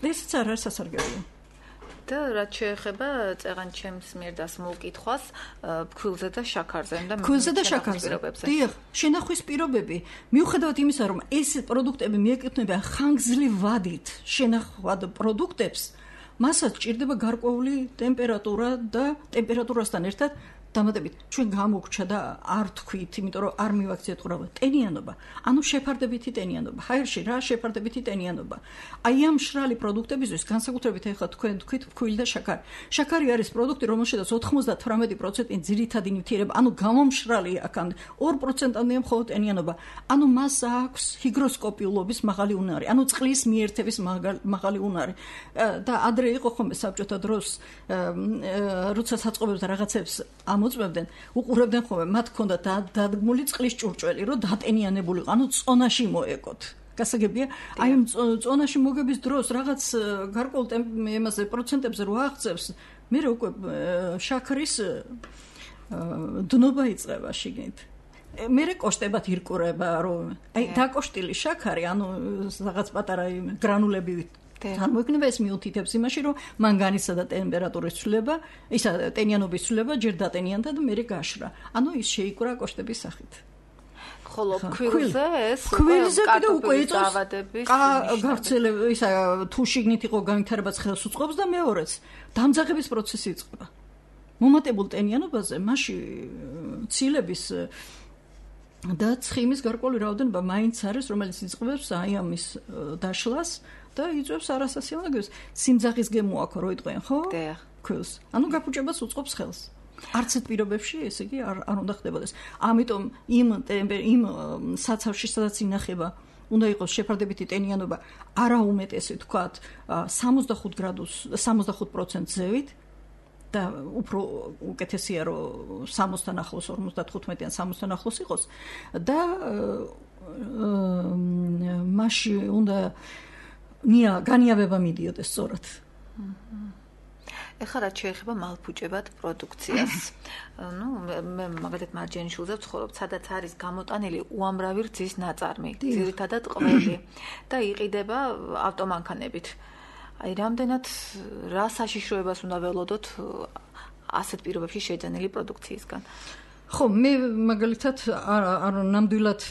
Speaker 3: ესეც არ არის სასარგებლო.
Speaker 2: და რაც შეეხება წეღან ჩემს მიერ დასმულ კითხვას, ფქვილზე და შაქარზე და
Speaker 3: ფქვილზე და შაქარზე. დიახ, შენახვის პირობები, მიუხედავად იმისა, რომ ეს პროდუქტები მიეკუთვნება ხანგრძლივ ვადით შენახვად პროდუქტებს, მასაც ჭირდება გარკვეული ტემპერატურა და ტემპერატურასთან ერთად დამატებით ჩვენ გამოგჩა და არ თქვით, იმიტომ რომ არ მივაქციეთ ყურადღება. ტენიანობა, ანუ შეფარდებითი ტენიანობა. ჰაერში რა შეფარდებითი ტენიანობა. აი ამ მშრალი პროდუქტებისთვის განსაკუთრებით ახლა თქვენ თქვით ფქვილი და შაქარი. შაქარი არის პროდუქტი, რომელშიც ოცდაათი პროცენტი ძირითადი ნივთიერება, ანუ გამომშრალი აქამდე ორი პროცენტამდეა მხოლოდ ტენიანობა. ანუ მას აქვს ჰიგროსკოპიულობის მაღალი უნარი, ანუ წყლის მიერთების მაღალი უნარი. და ადრე იყო ხოლმე საბჭოთა დროს, როცა საწყობებს რაღაცებს მოწმებდნენ, უყურებდნენ ხოლმე, მათ ჰქონდა დადგმული წყლის ჭურჭველი, რომ დატენიანებული, ანუ წონაში მოეკოთ. გასაგებია, აი ამ წონაში მოგების დროს რაღაც გარკვეულ ემაზე პროცენტებზე რო აღწევს, მე უკვე შაქრის დნობა იწყება შიგნით. მე კოშტებად ირკურება, რომ აი დაკოშტილი შაქარი, ანუ რაღაც პატარა გრანულები წარმოიქმნება ეს მიუთითებს იმაში, რომ მანგანისა და ტემპერატურის ცვლილება, ისა ტენიანობის ცვლილება ჯერ დატენიანდა და მერე გაშრა. ანუ ის შეიკვრა კოშტების სახით.
Speaker 2: ხოლო ფქვილზე ეს
Speaker 3: ფქვილზე კიდე უკვე იწოს გავრცელება, ისა თუ შიგნით იყო განვითარებაც ხელს უწყობს და მეორეც დამძაღების პროცესი იწყება. მომატებულ ტენიანობაზე მასში ცილების და ცხიმის გარკვეული რაოდენობა მაინც არის, რომელიც იწყებს აი ამის დაშლას და იწვევს არასასიამოვნოებს. სიმძაღის გემო აქვს რო იტყვიან, ხო?
Speaker 2: დიახ.
Speaker 3: ქვილს. ანუ გაფუჭებას უწყობს ხელს. არც ერთ პირობებში ესე იგი არ არ უნდა ხდებოდეს. ამიტომ იმ იმ საცავში სადაც ინახება უნდა იყოს შეფარდებითი ტენიანობა არა უმეტესი თქვათ სამოცდახუთ გრადუს სამოცდახუთ პროცენტს ზევით და უფრო უკეთესია რომ სამოცთან ახლოს ორმოცდათხუთმეტი ან სამოცთან ახლოს იყოს და მასში უნდა ნია განიავება მიდიოდეს სწორად.
Speaker 2: ეხლა რაც შეეხება მალფუჭებად პროდუქციას. ნუ მე მაგალითად მარჯანიშვილზე ვცხოვრობ, სადაც არის გამოტანილი უამრავი რძის ნაწარმი, ძირითადად ყველი და იყიდება ავტომანქანებით. აი რამდენად რა საშიშროებას უნდა ველოდოთ ასეთ პირობებში შეძენილი პროდუქციისგან.
Speaker 3: ხო, მე მაგალითად არ ნამდვილად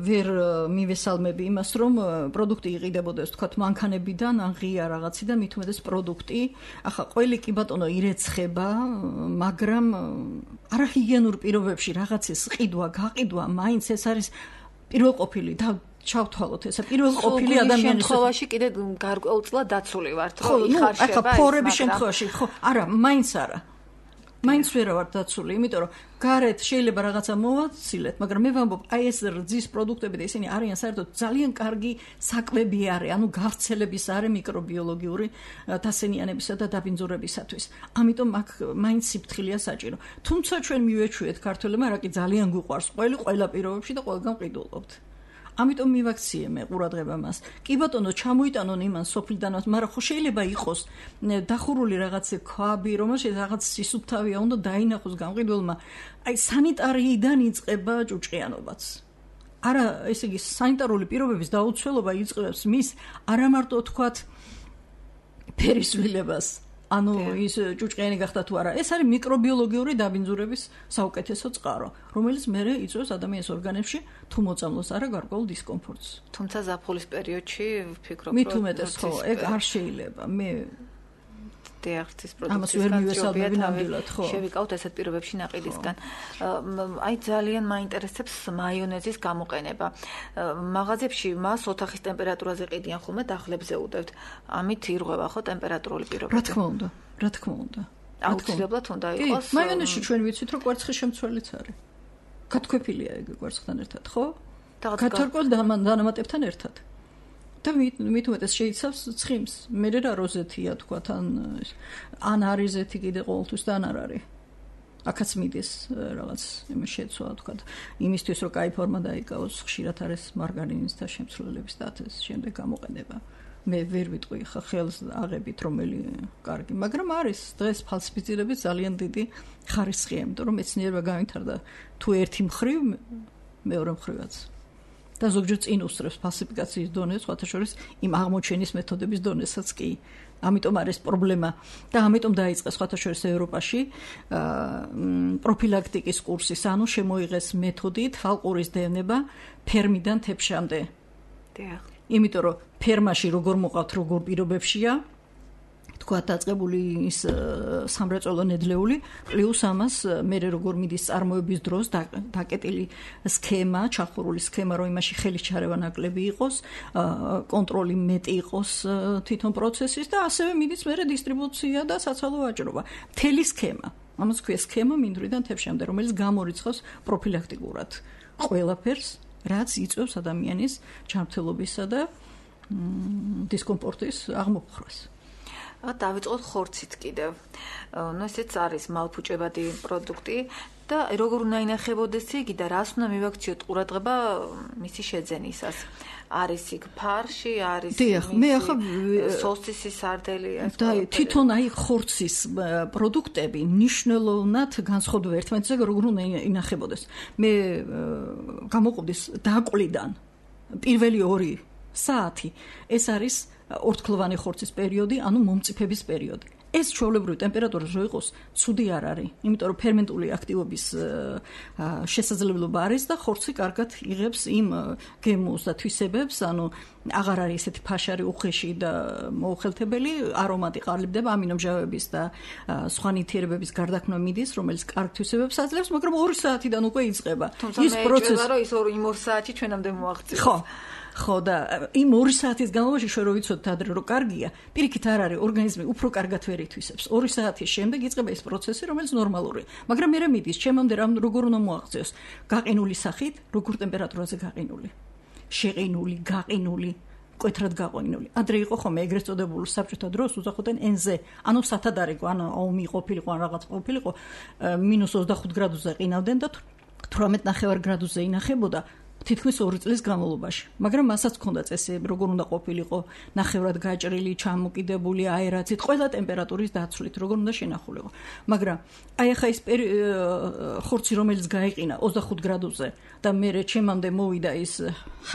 Speaker 3: ვერ მივესალმები იმას, რომ პროდუქტი იყიდებოდეს, თქვათ, მანქანებიდან, ან ღია რაღაციდან, მით უმეტეს პროდუქტი. ახლა ყველი კი ბატონო ირეცხება, მაგრამ არაჰიგიენურ პირობებში რაღაცის ყიდვა, გაყიდვა, მაინც ეს არის პირველყოფილი და ჩავთვალოთ ესა პირველყოფილი ადამიანის
Speaker 2: შემთხვევაში კიდე გარკვეულწილად დაცული ვართ,
Speaker 3: ხო,
Speaker 2: იხარშება.
Speaker 3: ახლა ფორების შემთხვევაში, ხო, არა, მაინც არა. მაინც ვერ ვარ დაცული, იმიტომ რომ გარეთ შეიძლება რაღაცა მოვაცილეთ, მაგრამ მე ვამბობ, აი ეს რძის პროდუქტები და ისინი არიან საერთოდ ძალიან კარგი საკვები არის, ანუ გავრცელების არის მიკრობიოლოგიური დასენიანებისა და დაბინძურებისათვის. ამიტომ აქ მაინც სიფრთხილეა საჭირო. თუმცა ჩვენ მივეჩვიეთ ქართველებმა, რა კი ძალიან გვიყვარს ყველი ყველა პირობებში და ყველგან ყიდულობთ. ამიტომ მივაქციე მე ყურადღება მას. კი ბატონო, ჩამოიტანონ იმან სოფლიდანაც, მაგრამ ხო შეიძლება იყოს დახურული რაღაც ქვაბი, რომელშიც რაღაც სისუფთავია, უნდა დაინახოს გამყიდველმა. აი სანიტარიიდან იწყება ჭუჭყიანობაც. არა, ესე იგი სანიტარული პირობების დაუცველობა იწყებს მის არა მარტო თქვათ ფერისვლილებას. ანუ ის ჭუჭყიანი გახდა თუ არა, ეს არის მიკრობიოლოგიური დაბინძურების საუკეთესო წყარო, რომელიც მერე იწვევს ადამიანის ორგანებში თუ მოწამლოს არა გარკვეულ დისკომფორტს.
Speaker 2: თუმცა ზაფხულის პერიოდში ვფიქრობ,
Speaker 3: რომ მით უმეტეს ხო, ეგ არ შეიძლება. მე
Speaker 2: დიახტის პროდუქციისგან
Speaker 3: ხო.
Speaker 2: შევიკავთ ესეთ პირობებში ნაყიდისგან. აი ძალიან მაინტერესებს მაიონეზის გამოყენება. მაღაზიებში მას ოთახის ტემპერატურაზე ყიდიან ხოლმე დახლებზე უდევთ. ამით ირღვევა ხო ტემპერატურული პირობები?
Speaker 3: რა თქმა უნდა, რა თქმა უნდა.
Speaker 2: აუცილებლად უნდა იყოს.
Speaker 3: კი, მაიონეზში ჩვენ ვიცით რომ კვერცხის შემცველიც არის. გათქვეფილია ეგ კვერცხთან ერთად, ხო? გათარკვალ დანამატებთან ერთად. და მით უმეტეს შეიცავს ცხიმს. მე რა როზეთია თქვათ, ან ან არის ზეთი კიდე ყოველთვის და ან არ არის. აქაც მიდის რაღაც იმის შეცვლა თქვათ. იმისთვის რომ კაი ფორმა დაიკავოს, ხშირად არის მარგარინის და შემცვლელების და ეს შემდეგ გამოყენება. მე ვერ ვიტყვი ხა ხელს აღებით რომელი კარგი, მაგრამ არის დღეს ფალსიფიცირების ძალიან დიდი ხარისხია, იმიტომ რომ მეცნიერება განვითარდა თუ ერთი მხრივ, მეორე მხრივაც. და ზოგჯერ წინ უსწრებს ფალსიფიკაციის დონეს, სხვათა შორის იმ აღმოჩენის მეთოდების დონესაც კი. ამიტომ არის პრობლემა და ამიტომ დაიწყეს სხვათა შორის ევროპაში პროფილაქტიკის კურსის, ანუ შემოიღეს მეთოდი თვალყურის დევნება ფერმიდან თეფშამდე.
Speaker 2: დიახ.
Speaker 3: იმიტომ რომ ფერმაში როგორ მოყავთ, როგორ პირობებშია, თქვა დაწყებული ის სამრეწველო ნედლეული, პლუს ამას მე როგორ მიდის წარმოების დროს დაკეტილი სქემა, ჩახურული სქემა, რომ იმაში ხელის ჩარევა ნაკლები იყოს, კონტროლი მეტი იყოს თვითონ პროცესის და ასევე მიდის მე დისტრიბუცია და საცალო ვაჭრობა. მთელი სქემა. ამას ქვია სქემა მინდვრიდან თეფშამდე, რომელიც გამორიცხავს პროფილაქტიკურად ყველაფერს, რაც იწვევს ადამიანის ჯანმრთელობისა და დისკომფორტის აღმოფხვრას.
Speaker 2: დავიწყოთ ხორცით კიდევ. ნუ ესეც არის მალფუჭებადი პროდუქტი და როგორ უნდა ინახებოდეს იგი და რას უნდა მივაქციოთ ყურადღება მისი შეძენისას. არის იქ ფარში, არის
Speaker 3: მე ახლა
Speaker 2: სოსისი, სარდელი,
Speaker 3: და თვითონ აი ხორცის პროდუქტები ნიშნულოვნად განსხვავდება ერთმანეთზე, როგორ უნდა ინახებოდეს. მე გამოყოფდის დაკვლიდან პირველი ორი საათი ეს არის ორთქლოვანი ხორცის პერიოდი, ანუ მომწიფების პერიოდი. ეს ჩვეულებრივი ტემპერატურა რო იყოს, ცუდი არ არის, იმიტომ რომ ფერმენტული აქტივობის შესაძლებლობა არის და ხორცი კარგად იღებს იმ გემოს და თვისებებს, ანუ აღარ არის ესეთი ფაშარი უხეში და მოუხელთებელი, არომატი ყალიბდება, ამინომჟავების და სხვა ნივთიერებების გარდაქმნა მიდის, რომელიც კარგ თვისებებს აძლევს, მაგრამ ორი საათიდან უკვე იწყება.
Speaker 2: ის პროცესი, რომ ის იმ ორ საათი ჩვენამდე მოაღწევს.
Speaker 3: ხო. ხო და იმ ორი საათის განმავლობაში ჩვენ რო ვიცოდეთ ადრე რომ კარგია, პირიქით არ არის, ორგანიზმი უფრო კარგად ვერ ითვისებს. ორი საათის შემდეგ იწყება ეს პროცესი, რომელიც ნორმალურია. მაგრამ მე მიდის, ჩემამდე რამ როგორ უნდა მოაღწევს? გაყინული სახით, როგორ ტემპერატურაზე გაყინული? შეყინული, გაყინული, მკვეთრად გაყინული. ადრე იყო ხოლმე ეგრეთ წოდებული საბჭოთა დროს უძახოდნენ ენზე, ანუ სათადარიგო, ანუ ომი ყოფილიყო, ან რაღაც ყოფილიყო, მინუს ოცდახუთ გრადუსზე ყინავდნენ და თვრამეტ ნახევარ გრადუსზე ინახებოდა. თითქმის ორი წლის განმავლობაში. მაგრამ მასაც ჰქონდა წესი, როგორ უნდა ყოფილიყო, ნახევრად გაჭრილი, ჩამოკიდებული, აერაცით, ყველა ტემპერატურის დაცვლით, როგორ უნდა შენახულიყო. მაგრამ აი ახლა ის ხორცი, რომელიც გაიყინა ოცდახუთ გრადუსზე და მე ჩემამდე მოვიდა ის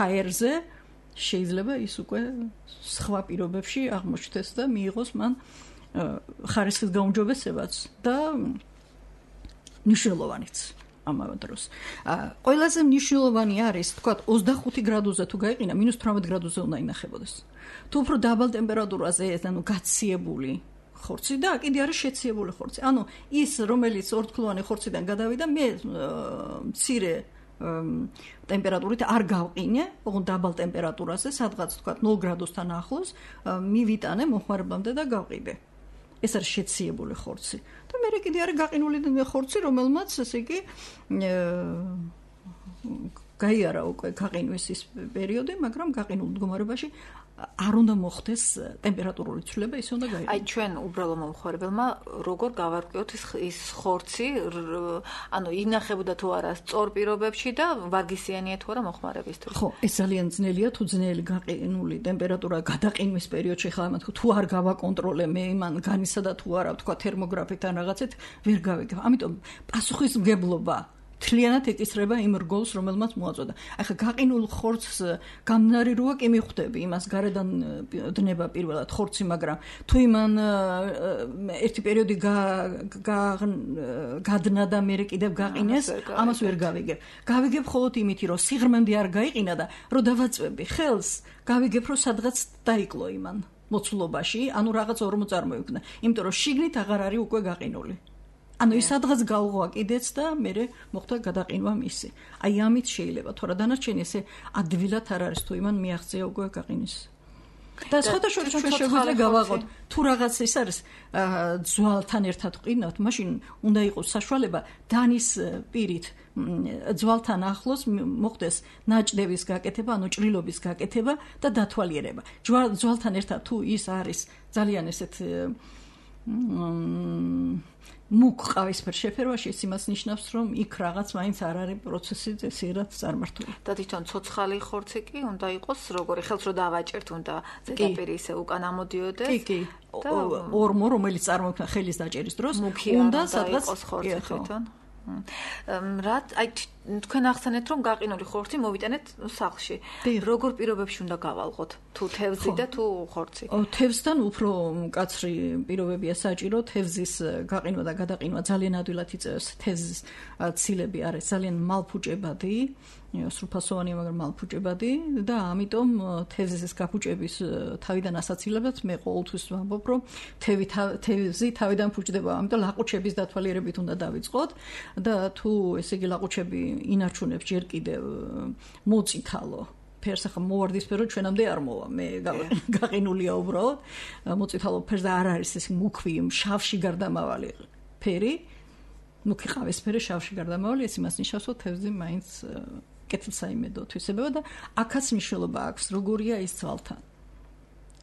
Speaker 3: ჰაერზე, შეიძლება ის უკვე სხვა პირობებში აღმოჩნდეს და მიიღოს მან ხარისხის გაუმჯობესებაც და მნიშვნელოვანიც. ამავე დროს. ყველაზე მნიშვნელოვანი არის, თქვათ, ოცდახუთი გრადუსზე თუ გაიყინა, მინუს თვრამეტ გრადუსზე უნდა ინახებოდეს. თუ უფრო დაბალ ტემპერატურაზე, ანუ გაციებული ხორცი და კიდე არის შეციებული ხორცი. ანუ ის, რომელიც ორთქლოვანი ხორციდან გადავიდა, მე მცირე ტემპერატურით არ გავყინე, ოღონდ დაბალ ტემპერატურაზე, სადღაც თქვათ ნულ გრადუსთან ახლოს, მივიტანე მოხმარებამდე და გავყიდე. ეს არის შეციებული ხორცი. და მე კიდე არის გაყინული ხორცი, რომელმაც ესე იგი გაიარა უკვე გაყინვის ის პერიოდი, მაგრამ გაყინულ მდგომარეობაში არ უნდა მოხდეს ტემპერატურული ცვლილება, ის უნდა გაიყენოს.
Speaker 2: აი ჩვენ უბრალო მომხმარებელმა როგორ გავარკვიოთ ის ხორცი, ანუ ინახებოდა თუ არა სწორ პირობებში და ვარგისიანია თუ არა მოხმარებისთვის.
Speaker 3: ხო, ეს ძალიან ძნელია, თუ ძნელი გაყინული ტემპერატურა გადაყინვის პერიოდში ხა ამათ თუ არ გავაკონტროლე მე იმან განისა და თუ არა თქვა თერმოგრაფით ან რაღაცით ვერ გავიგებ. ამიტომ პასუხისმგებლობა თლიანად ეკისრება იმ რგოლს, რომელმაც მოაწოდა. ახლა გაყინულ ხორცს გამნარი როა კი მიხვდები, იმას გარედან დნება პირველად ხორცი, მაგრამ თუ იმან ერთი პერიოდი გადნა და მე კიდევ გაყინეს, ამას ვერ გავიგებ. გავიგებ მხოლოდ იმითი, რომ სიღრმემდე არ გაიყინა და რომ დავაწვევი ხელს, გავიგებ, რომ სადღაც დაიკლო იმან მოცულობაში, ანუ რაღაც ორმო წარმოიქმნა. იმიტომ რომ შიგნით აღარ არის უკვე გაყინული. ანუ ის სადღაც გავღვა კიდეც და მე მოხდა გადაყინვა მისი. აი ამით შეიძლება, თორე დანარჩენი ესე ადვილად არ არის თუ იმან მიაღწია უკვე გაყინის. და სხვათა შორის ჩვენ შეგვიძლია გავაღოთ, თუ რაღაც ის არის ძვალთან ერთად ყინავთ, მაშინ უნდა იყოს საშუალება დანის პირით ძვალთან ახლოს მოხდეს ნაჭდების გაკეთება, ანუ ჭრილობის გაკეთება და დათვალიერება. ძვალთან ერთად თუ ის არის ძალიან ესეთ მუქ ყავისფერ შეფერვაში, ეს იმას ნიშნავს, რომ იქ რაღაც მაინც არ არის პროცესი წესიერად წარმართული.
Speaker 2: და თვითონ ცოცხალი ხორცი კი უნდა იყოს როგორი, ხელს რო დავაჭერთ, უნდა ზედაპირი ისე უკან ამოდიოდეს.
Speaker 3: კი, კი. ორმო, რომელიც წარმოიქმნა ხელის დაჭერის დროს, უნდა სადღაც
Speaker 2: ხორცი თვითონ. რა, აი თქვენ ახსენეთ, რომ გაყინული ხორცი მოვიტანეთ სახლში. როგორ პირობებში უნდა გავალღოთ? თუ თევზი და თუ ხორცი?
Speaker 3: თევზთან უფრო მკაცრი პირობებია საჭირო, თევზის გაყინვა და გადაყინვა ძალიან ადვილად იწევს. თევზის ცილები არის ძალიან მალფუჭებადი, სრულფასოვანია, მაგრამ მალფუჭებადი და ამიტომ თევზის გაფუჭების თავიდან ასაცილებლად მე ყოველთვის ვამბობ, რომ თევი თევზი თავიდან ფუჭდება, ამიტომ ლაყუჩების დათვალიერებით უნდა დავიწყოთ და თუ ესე იგი ლაყუჩები ინარჩუნებს ჯერ კიდევ მოწითალო ფერს, ახლა მოვარდისფერო ჩვენამდე არ მოვა, მე გაყინულია უბრალოდ მოწითალო ფერს და არ არის ეს მუქვი შავში გარდამავალი ფერი, მუქი ყავისფერი შავში გარდამავალი, ეს იმას ნიშნავს, რომ თევზი მაინც კეთილსაიმედო თვისებაა და აქაც მნიშვნელობა აქვს, როგორია ის ძვალთან.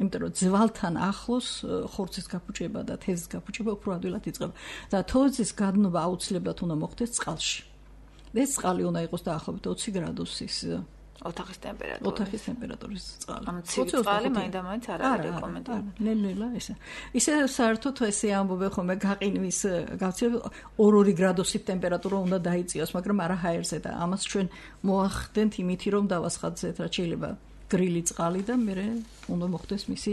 Speaker 3: იმიტომ რომ ძვალთან ახლოს ხორცის გაფუჭება და თევზის გაფუჭება უფრო ადვილად იწყება. და თევზის გადნობა აუცილებლად უნდა მოხდეს წყალში. ეს წყალი უნდა იყოს დაახლოებით ოცი გრადუსის
Speaker 2: ოთახის ტემპერატურა.
Speaker 3: ოთახის ტემპერატურის წყალი.
Speaker 2: ამ ცივი წყალი მაინდა-მაინც არ არის რეკომენდებული.
Speaker 3: ნელ-ნელა ესე. ისე საერთოდ ესე ამბობენ ხოლმე გაყინვის გავცილება ორ-ორი გრადუსით ტემპერატურა უნდა დაიწიოს, მაგრამ არა ჰაერზე და ამას ჩვენ მოახდენთ იმითი, რომ დავასხადეთ, რაც შეიძლება გრილი წყალი და მე უნდა მოხდეს მისი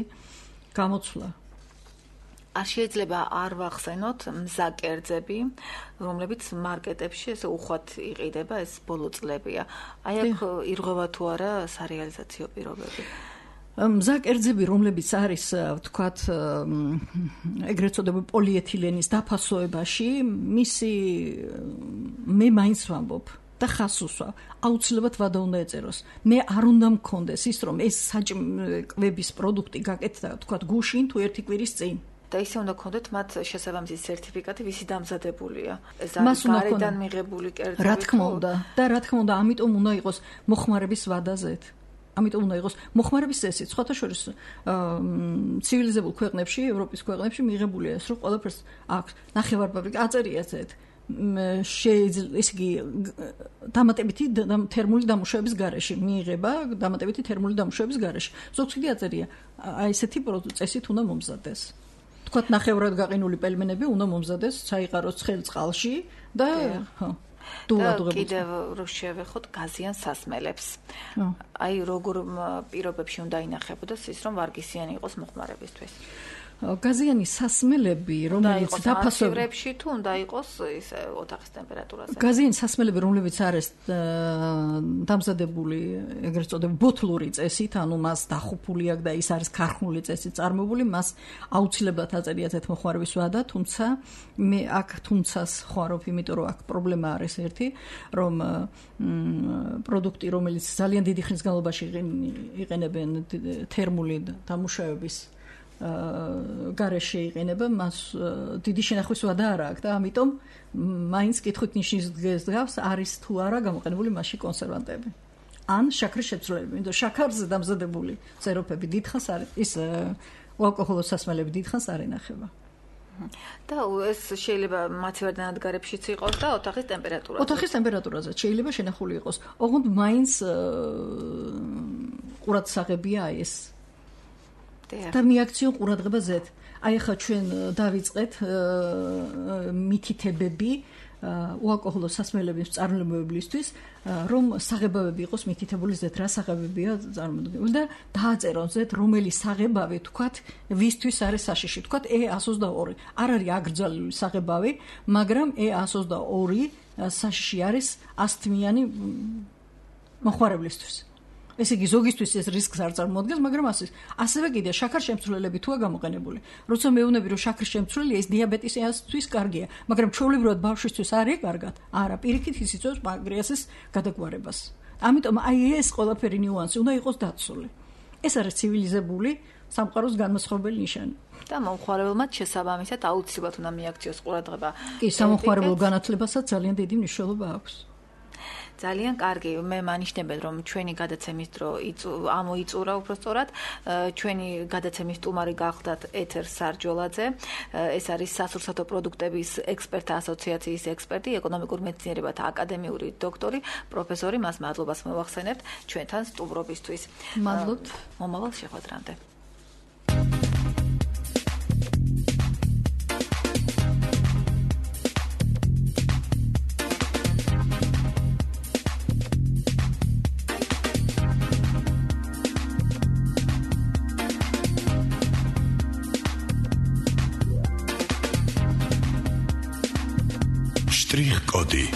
Speaker 3: გამოცვლა.
Speaker 2: არ შეიძლება არ ვახსენოთ მზაკერძები, რომლებიც მარკეტებში ესე უხვად იყიდება, ეს ბოლო წლებია. აი აქ ირღვევა თუ არა სარეალიზაციო პირობები?
Speaker 3: მზა კერძები, რომლებიც არის, ვთქვათ, ეგრეთ წოდებული პოლიეთილენის დაფასოებაში, მისი მე მაინც ვამბობ და ხას უსვავ. აუცილებლად ვადა უნდა ეწეროს. მე არ უნდა მქონდეს ის, რომ ეს საჭმკვების პროდუქტი გაკეთდა, ვთქვათ, გუშინ თუ ერთი კვირის წინ.
Speaker 2: და ისე უნდა გქონდეთ მათ შესაბამისი სერტიფიკატი, ვისი დამზადებულია. ეს არის გარედან მიღებული კერძები.
Speaker 3: რა თქმა უნდა, და რა თქმა უნდა, ამიტომ უნდა იყოს მოხმარების ვადაზეთ. ამიტომ უნდა იყოს მოხმარების წესი. სხვათა შორის ცივილიზებულ ქვეყნებში, ევროპის ქვეყნებში მიღებულია ეს, რომ ყველაფერს აქვს ნახევარფაბრიკა აწერიათ ეს. შეიძლება ისე იგი დამატებითი თერმული დამუშავების გარეშე მიიღება, დამატებითი თერმული დამუშავების გარეშე. ზოგს კიდე აწერია, აი ესეთი წესით უნდა მომზადეს. თქვათ ნახევრად გაყინული პელმენები უნდა მომზადეს, ჩაიყაროს ცხელ წყალში და ხო.
Speaker 2: და კიდევ რო შევეხოთ გაზიან სასმელებს. აი როგორ პირობებში უნდა ინახებოდეს ის, რომ ვარგისიანი იყოს მოხმარებისთვის.
Speaker 3: გაზიანი სასმელები, რომელიც
Speaker 2: დაფასოებში თუ უნდა იყოს ის ოთახის ტემპერატურაზე.
Speaker 3: გაზიანი სასმელები, რომლებიც არის დამზადებული, ეგრეთ წოდებული ბოთლური წესით, ანუ მას დახუპული აქვს და ის არის ქარხნული წესით წარმოებული, მას აუცილებლად აწერიათ ეს მოხმარების ვადა, თუმცა მე აქ თუმცას ხوارობ, იმიტომ რომ აქ პრობლემა არის ერთი, რომ პროდუქტი, რომელიც ძალიან დიდი ხნის განმავლობაში იყენებენ თერმული დამუშავების გარეშე იყენება, მას დიდი შენახვის ვადა არ აქვს და ამიტომ მაინც კითხვით ნიშნის დღეს არის თუ არა გამოყენებული მასში კონსერვანტები. ან შაქრის შეცვლილები, იმიტომ შაქარზე დამზადებული სეროფები დიდხანს არის, ის უალკოჰოლო სასმელები დიდხანს არ ინახება.
Speaker 2: და ეს შეიძლება მაცივარდან ადგარებშიც იყოს და ოთახის ტემპერატურაზე.
Speaker 3: ოთახის ტემპერატურაზე შეიძლება შენახული იყოს. ოღონდ მაინც ყურადსაღებია ეს და მიაქციონ ყურადღება ზეთ. აი ახლა ჩვენ დავიწყეთ მითითებები უალკოჰოლო სასმელების მწარმოებლისთვის, რომ საღებავები იყოს მითითებული ზეთ, რა საღებებია წარმოდგენილი და დააწერონ ზეთ, რომელი საღებავი თქვათ, ვისთვის არის საშიში. თქვათ E one twenty-two. არ არის აკრძალული საღებავი, მაგრამ E one twenty-two საშიში არის ასთმიანი მოხმარებლისთვის. ესე იგი ზოგისთვის ეს რისკს არ წარმოადგენს, მაგრამ ასე ასევე კიდე შაქარ შემცვლელები თუა გამოყენებული. როცა მეუბნები რომ შაქრის შემცვლელია, ეს დიაბეტისისთვის კარგია, მაგრამ ჩვეულებრივად ბავშვისთვის არის კარგად. არა, პირიქით ის იწვევს პანკრეასის გადაგვარებას. ამიტომ აი ეს ყველაფერი ნიუანსი უნდა იყოს დაცული. ეს არის ცივილიზებული სამყაროს განმასხვავებელი ნიშანი.
Speaker 2: და მომხმარებელმაც შესაბამისად აუცილებლად უნდა მიაქციოს ყურადღება.
Speaker 3: კი, სამომხმარებლო განათლებასაც ძალიან დიდი მნიშვნელობა აქვს.
Speaker 2: ძალიან კარგი, მე მანიშნებენ რომ ჩვენი გადაცემის დრო ამოიწურა უბრალოდ ჩვენი გადაცემის სტუმარი გახლდათ ეთერ სარჯოლაძე, ეს არის სასურსათო პროდუქტების ექსპერტთა ასოციაციის ექსპერტი, ეკონომიკურ მეცნიერებათა აკადემიური დოქტორი, პროფესორი, მას მადლობას მოვახსენებთ ჩვენთან სტუმრობისთვის.
Speaker 3: მადლობთ.
Speaker 2: მომავალ შეხვედრამდე.
Speaker 8: Strich Cody.